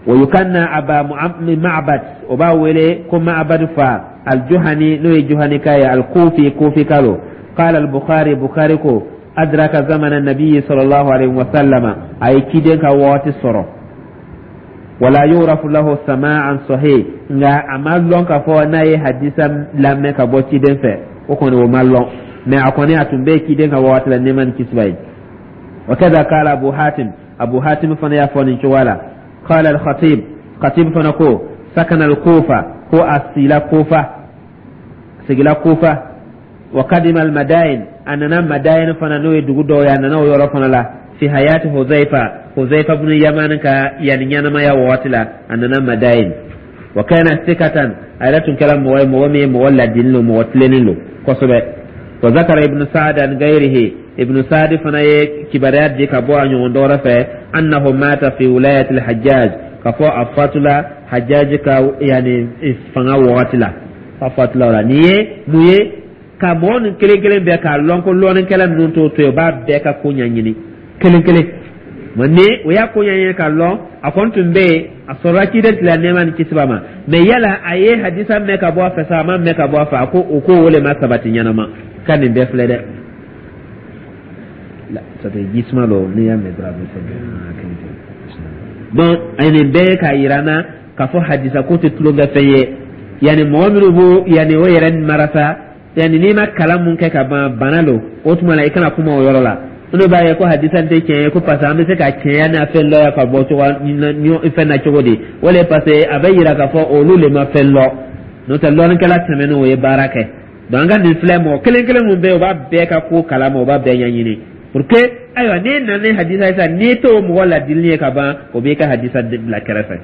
Wa yukanna Aba Ma'bad, o b'a wele ko Ma'bad fa, al-Juhani, n'o ye Juhani ka ye, al-Kufi, Kufi ka lo. Qala al-Bukhari, Bukhari ko adraka zamana nabiyyi sallallahu alaihi wa sallama, a ye ciden ka waati sɔrɔ. Wala yurafu lahu sama'an sahih, nka a ma lɔn k'a fɔ n'a ye hadisa lamɛn ka bɔ ciden fɛ. O kɔni, o ma lɔn, mais a kɔni, a tun bɛ ciden ka waati la, nɛɛma ni kisi b'a ye. Wa kaza qala Abu Hatim, Abu Hatim fana y'a fɔ nin cogoya la. Qala al-Khatib, Khatib fana ko sakana al-Kufa, ko a sila Kufa, sigila Kufa. Wa kadima al-Madain, a nana Madain fana, n'o ye dugu dɔw ye, a nana o yɔrɔ fana la. Fi hayati Huzaifa, Huzaifa ibn Yaman ka yani ɲɛnamaya waati la, a nana Madain. Wa kana sikatan, a yɛrɛ tun kɛra mɔgɔ ye, mɔgɔ min ye mɔgɔ ladili lo, mɔgɔ tilennen lo kosɛbɛ. Wa zakara Ibn Sa'd an gairihi, Ibn Sa'd fana ye kibaruya di ka bɔ a ɲɔgɔn dɔwɛrɛ fɛ, annahu mata fi wilayati al-Hajjaj, ka fɔ a fatula Hajjaj ka yani fanga wagati la, a fatula o la. Nin ye mun ye? Ka mɔgɔ nin kelen kelen bɛɛ k'a lɔn ko lɔnnikɛla ninnu t'o to yen, o b'a bɛɛ ka ko ɲɛɲini kelen kelen. Mɛ ni o y'a ko ɲɛɲini k'a lɔn, a kɔni tun bɛ yen, a sɔrɔla ciden tile, nɛɛma ni kisi b'a ma. Mɛ yala a ye hadisa mɛn ka bɔ a fɛ sa, a ma mɛn ka bɔ a fɛ? A ko o ko o le ma sabati ɲɛnama ka nin bɛɛ filɛ dɛ. Ji suma dɔ, n'i y'a mɛn dɔrɔn, a bɛ fɛn. Donc a ye nin bɛɛ k'a yira n na k'a fɔ hadisa ko tɛ tulonkɛ fɛn ye. Yanni mɔgɔ minnu b'o yanni o yɛrɛ marasa, yanni n'i ma kalan mun kɛ ka ban, bana don. O tuma la, i kana kuma o yɔrɔ la. Minnu b'a ye ko hadisa tɛ tiɲɛ ye, ko parce que an bɛ se ka tiɲɛya n'a fɛn lɔya ka bɔ cogo fɛn na cogo di? O le parce que a bɛ yira k'a fɔ olu le ma fɛn lɔ, n'o tɛ lɔnnikɛla tɛmɛnen, o ye baara kɛ. Donc an ka nin filɛ, mɔgɔ kelen kelen mun bɛ yen, o b'a bɛɛ ka ko kalama, o b'a bɛɛ ɲɛɲini pour que ayiwa, n'e nana ni hadisa ye sisan, n'i t'o mɔgɔ ladili ye ka ban, o b'i ka hadisa bila kɛrɛfɛ.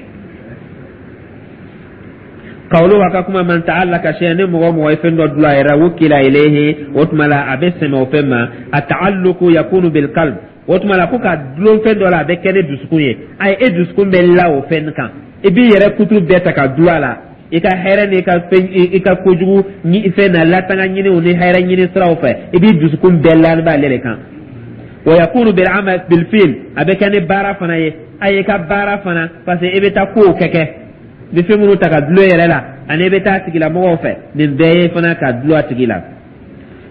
Kawulu a ka kuma, man ta'allaka shay'an, ni mɔgɔ mɔgɔ ye fɛn dɔ dulon a yɛrɛ, wukila ilayhi, o tuma la a bɛ sɛmɛ o fɛn ma. A ta'alluqu yakunu bil qalb, o tuma la ko ka dulon fɛn dɔ la, a bɛ kɛ ni dusukun ye. Ayi, e dusukun bɛ la o fɛn kan, i b'i yɛrɛ kutu bɛɛ ta ka dulon a la, i ka hɛrɛ n'i ka fɛn, i ka kojugu fɛn na latanga ɲiniw ni hɛrɛ ɲini siraw fɛ, i b'i dusukun bɛɛ la b'ale de kan. Wa yakunu bil amal bil fi'l, a bɛ kɛ ni baara fana ye. A y'i ka baara fana, parce que i bɛ taa kow kɛ kɛ, i bɛ fɛn minnu ta ka dulon yɛrɛ la, ani i bɛ taa a tigilamɔgɔw fɛ, nin bɛɛ ye fana ka dulon a tigi la.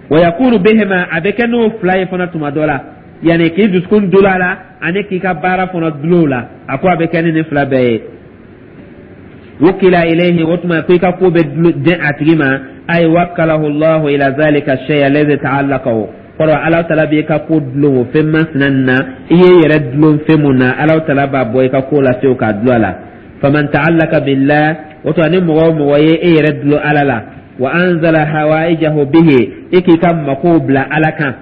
Wa yakunu bihima, a bɛ kɛ n'o fila ye fana tuma dɔ la, yanni k'i dusukun dulon a la ani k'i ka baara fana dulon o la. A ko a bɛ kɛ ni nin fila bɛɛ ye. Wukila ilayhi, o tuma ko i ka ko bɛ den a tigi ma. Ay wakkalahu Allahu ila zalika shay alladhi ta'allaqahu, kɔrɔ Ala tala b'i ka ko dulon o fɛn masina nin na. I ye yɛrɛ dulon fɛn mun na, Ala tala b'a bɔ i ka ko la fiyewu k'a dulon a la. Faman ta'allaka billah, o tuma ni mɔgɔ o mɔgɔ ye e yɛrɛ dulon Ala la, wa anzala hawaijahu bihi, i k'i ka makow bila Ala kan,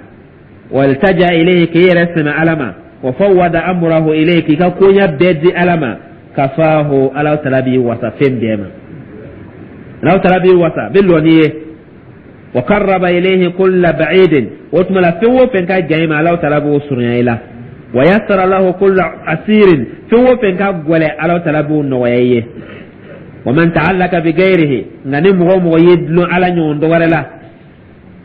waltaja ilayhi, k'i yɛrɛ sɛmɛ Ala ma, wa fawwada amrahu ilayhi, k'i ka koɲa bɛɛ di Ala ma, kafahu, Ala tala b'i wasa fɛn bɛɛ ma. Ala tala b'i wasa, bɛ lɔ n'i ye. Wa qarraba ilayhi kulla ba'idin, o tuma la fɛn o fɛn ka jan i ma, Ala tala b'o surunya i la. Wa yassara lahu kulla asirin, fɛn o fɛn ka gɛlɛn, Ala tala b'o nɔgɔya i ye. Wa man ta'allaka bi ghayrihi, nka ni mɔgɔ o mɔgɔ ye dulon Ala ɲɔgɔn dɔ wɛrɛ la,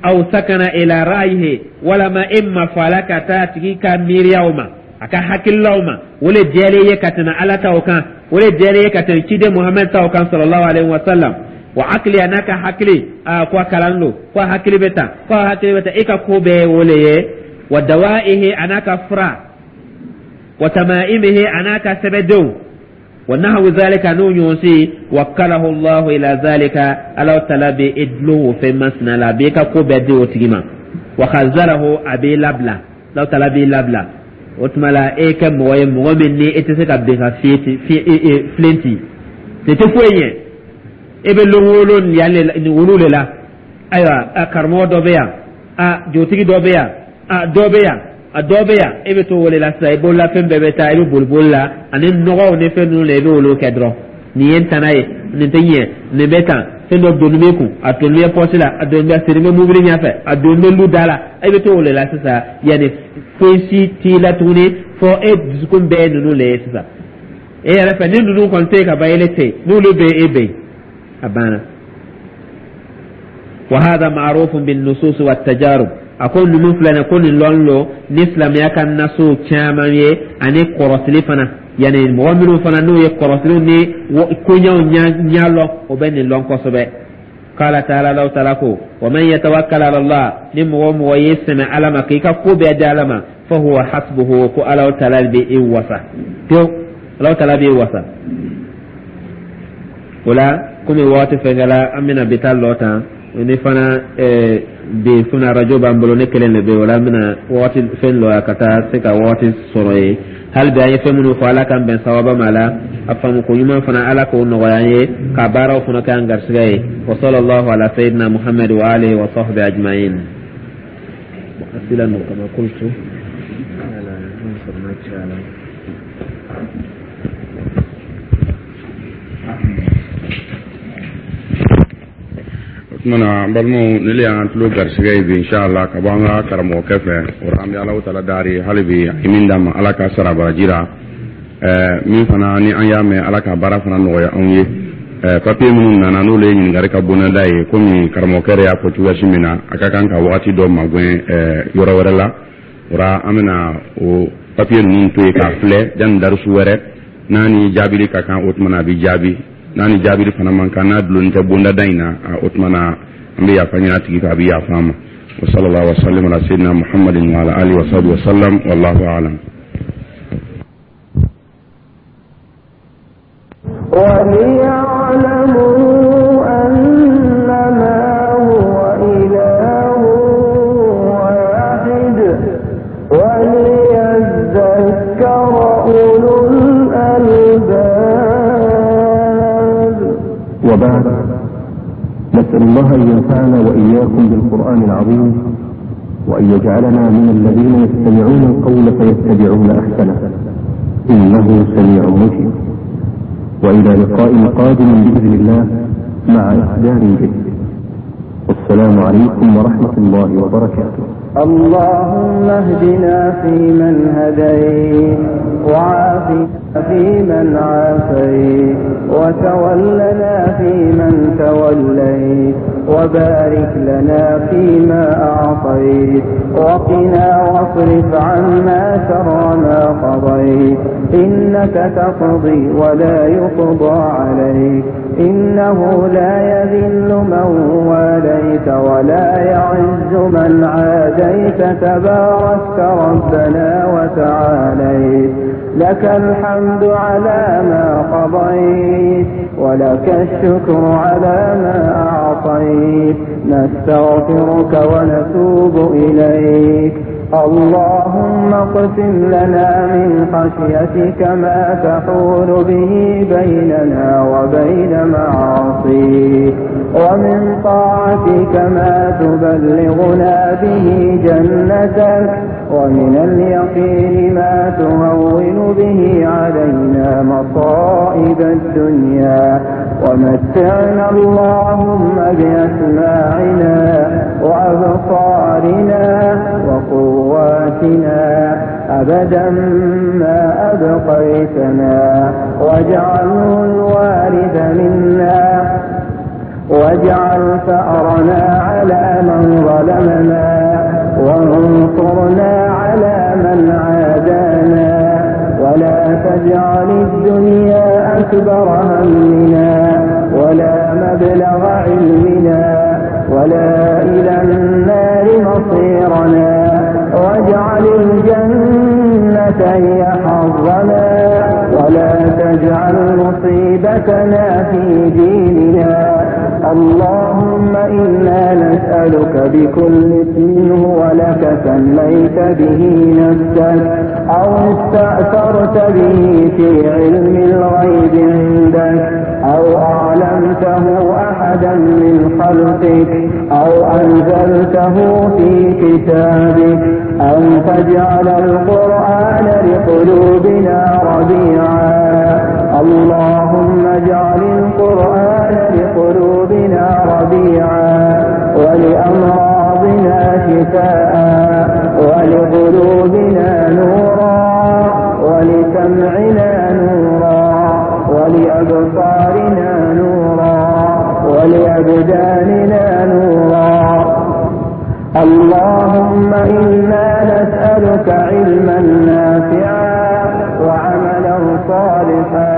aw sakana ila ra'yihi, walama e mafala ka taa a tigi ka miiriyaw ma, a ka hakililaw ma, o le diyalen ye ka tɛmɛ Ala taw kan, o le diyalen ye ka tɛmɛ ciden Muhamɛd taw kan, sallallahu alaihi wa sallam, wa akili, a n'a ka hakili, a ko a kalan don, ko a hakili bɛ tan, ko a hakili bɛ tan, e ka ko bɛɛ ye o le ye. Wa dawaihi, a n'a ka fura, wa tamaimihi, a n'a ka sɛbɛdenw, wa nahwu zalika, n'o ɲɔgɔn si, wakkalahu Allahu ila zalika, Ala tala bɛ e dulon o fɛn masina la, a b'e ka ko bɛɛ di o tigi ma. Wa khazalahu, a b'e labila, Ala tala b'i labila. O tuma la e kɛ mɔgɔ ye, mɔgɔ min ni e tɛ se ka bin ka filen ci, nin tɛ foyi ɲɛ, e bɛ lon o lon yan nin olu de la. Ayiwa, a karamɔgɔ dɔ bɛ yan, a jotigi dɔ bɛ yan, a dɔ bɛ yan, a dɔ bɛ yan, e bɛ t'o wele la sisan, i bololafɛn bɛɛ bɛ taa, i bɛ boli boli la ani nɔgɔw ni fɛn ninnu la, i bɛ olu kɛ dɔrɔn. Nin ye n tana ye, nin tɛ ɲɛ, nin bɛ tan, fɛn dɔ doni bɛ kun, a doni bɛ pɔsi la, a doni bɛ siri bɛ mobili ɲɛfɛ, a doni bɛ lu da la, e bɛ t'o de la sisan. Yanni foyi si t'i la tuguni, fɔ e dusukun bɛɛ ye ninnu de ye sisan. E yɛrɛ fɛ, ni ninnu kɔni tɛ yen ka ban, ele tɛ yen, n'olu bɛ yen, e bɛ yen, a banna. Wa hada ma'rufun bin nusus wa tajarub, a ko ninnu filɛ nin ko nin lɔn lo ni silamɛya ka nasow caman ye ani kɔrɔsili fana, yanni mɔgɔ minnu fana n'u ye kɔrɔsiliw ni koɲɛw ɲɛ lɔn, o bɛ nin lɔn kosɛbɛ. Qala ta'ala, Allahu ta'ala ko wa man yatawakkal ala Allah, ni mɔgɔ o mɔgɔ ye sɛmɛ Ala ma k'i ka ko bɛɛ di Ala ma, fa huwa hasbuhu, ko Allahu ta'ala bɛ e wasa pewu. Alahu Taala b'i wasa o la. Komi waati fɛnkɛla, an bɛna bi ta lɔ tan ni fana bi fana arajo b'an bolo, ne kelen de bɛ yen o la. An bɛna waati fɛn lɔ ka taa se ka waati sɔrɔ yen. Hali bi an ye fɛn minnu fɔ, Ala k'an bɛn sababa ma la. A faamu ko ɲuman fana, Ala k'o nɔgɔya an ye ka baaraw fana kɛ an garisɛgɛ ye. Wa sallallahu ala sayyidina Muhammad wa alihi wa sahbihi ajma'in. Asila kama qultu. O tuma na, an balimaw, ni le y'an tulo garisɛgɛ ye bi, inshallah, ka bɔ an ka karamɔgɔkɛ fɛ. O la, an bɛ Alahu Taala dari hali bi, a ye min d'an ma, Ala ka sara baraji la. Min fana ni an y'a mɛn, Ala ka baara fana nɔgɔya anw ye. Papiye minnu nana, n'olu ye ɲininkali ka bonda ye, komi karamɔgɔkɛ yɛrɛ y'a fɔ cogoya min na, a ka kan ka wagati dɔ magɛn yɔrɔ wɛrɛ la. O la, an bɛna o papiye ninnu to yen k'a filɛ yanni darisu wɛrɛ. N'a ni jaabili ka kan, o tuma na a bɛ jaabi. N'a ni jaabili fana man kan, n'a dulonnen tɛ bondada in na, o tuma na an bɛ yafa ɲini a tigi fɛ, a bɛ yafa an ma. Wa sallallahu wa sallam ala sayyidina Muhammadin wa ala alihi wa sahbihi wa sallam. Wallahu a'lam. وليعلموا أنما هو إله واحد وليذكر أولو الألباب. وبعد، نسأل الله أن ينفعنا وإياكم بالقرآن العظيم، وأن يجعلنا من الذين يستمعون القول فيتبعون أحسنه، إنه سميع مجيب. وإلى لقاء قادم بإذن الله مع إصدار جديد. والسلام عليكم ورحمة الله وبركاته. اللهم اهدنا فيمن هديت، وعافنا فيمن عافيت، وتولنا فيمن توليت، وبارك لنا فيما أعطيت، وقنا واصرف عنا شر ما قضيت، إنك تقضي ولا يقضى عليك، إنه لا يذل من واليت ولا يعز من عاديت، تباركت ربنا وتعاليت، لك الحمد على ما قضيت ولك الشكر على ما أعطيت، نستغفرك ونتوب إليك. اللهم اقسم لنا من خشيتك ما تحول به بيننا وبين معاصيك، ومن طاعتك ما تبلغنا به جنتك، ومن اليقين ما تهون به علينا مصائب الدنيا. ومتعنا اللهم بأسماعنا وأبصارنا وقواتنا أبدا ما أبقيتنا، واجعله الوارث منا، واجعل ثأرنا على من ظلمنا، وانصرنا على من عادانا، ولا تجعل الدنيا أكبر همنا ولا مبلغ علمنا ولا إلى النار مصيرنا، واجعل الجنة هي حظنا، ولا تجعل مصيبتنا في ديننا. اللهم إنا نسألك بكل اسم هو لك سميت به نفسك، أو استأثرت به في علم الغيب عندك، أو أعلمته أحدا من خلقك، أو أنزلته في كتابك، أن تجعل القرآن لقلوبنا ربيعا. اللهم اجعل القرآن لقلوبنا ربيعا، ولأمراضنا شفاء، ولقلوبنا نورا، ولسمعنا نورا، ولأبصارنا نورا، ولأبداننا نورا. اللهم إنا نسألك علما نافعا، وعملا صالحا،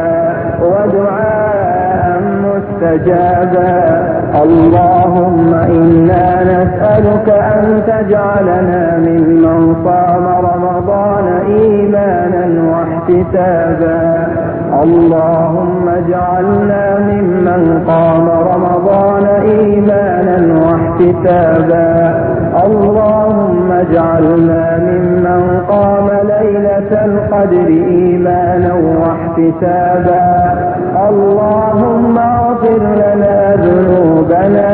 ودعاء مستجابا. اللهم إنا نسألك أن تجعلنا ممن صام رمضان إيمانا واحتسابا، اللهم اجعلنا ممن قام رمضان إيمانا واحتسابا. اللهم اجعلنا ممن قام ليلة القدر إيمانا واحتسابا. اللهم اغفر لنا ذنوبنا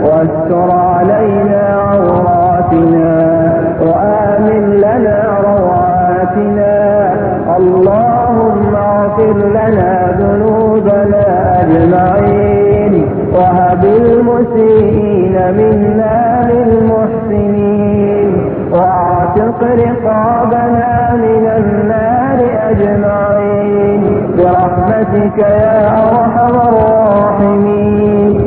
واستر علينا عوراتنا وآمن لنا روعاتنا. اللهم اغفر لنا ذنوبنا أجمعين، وهب المسيئين منا للمحسنين، واعتق رقابنا من النار أجمعين برحمتك يا أرحم الراحمين.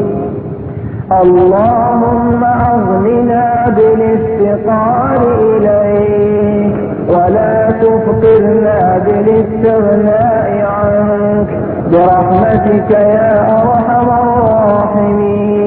اللهم أغننا بالافتقار إليك، ولا تفقرنا بالاستغناء عنك برحمتك يا أرحم الراحمين.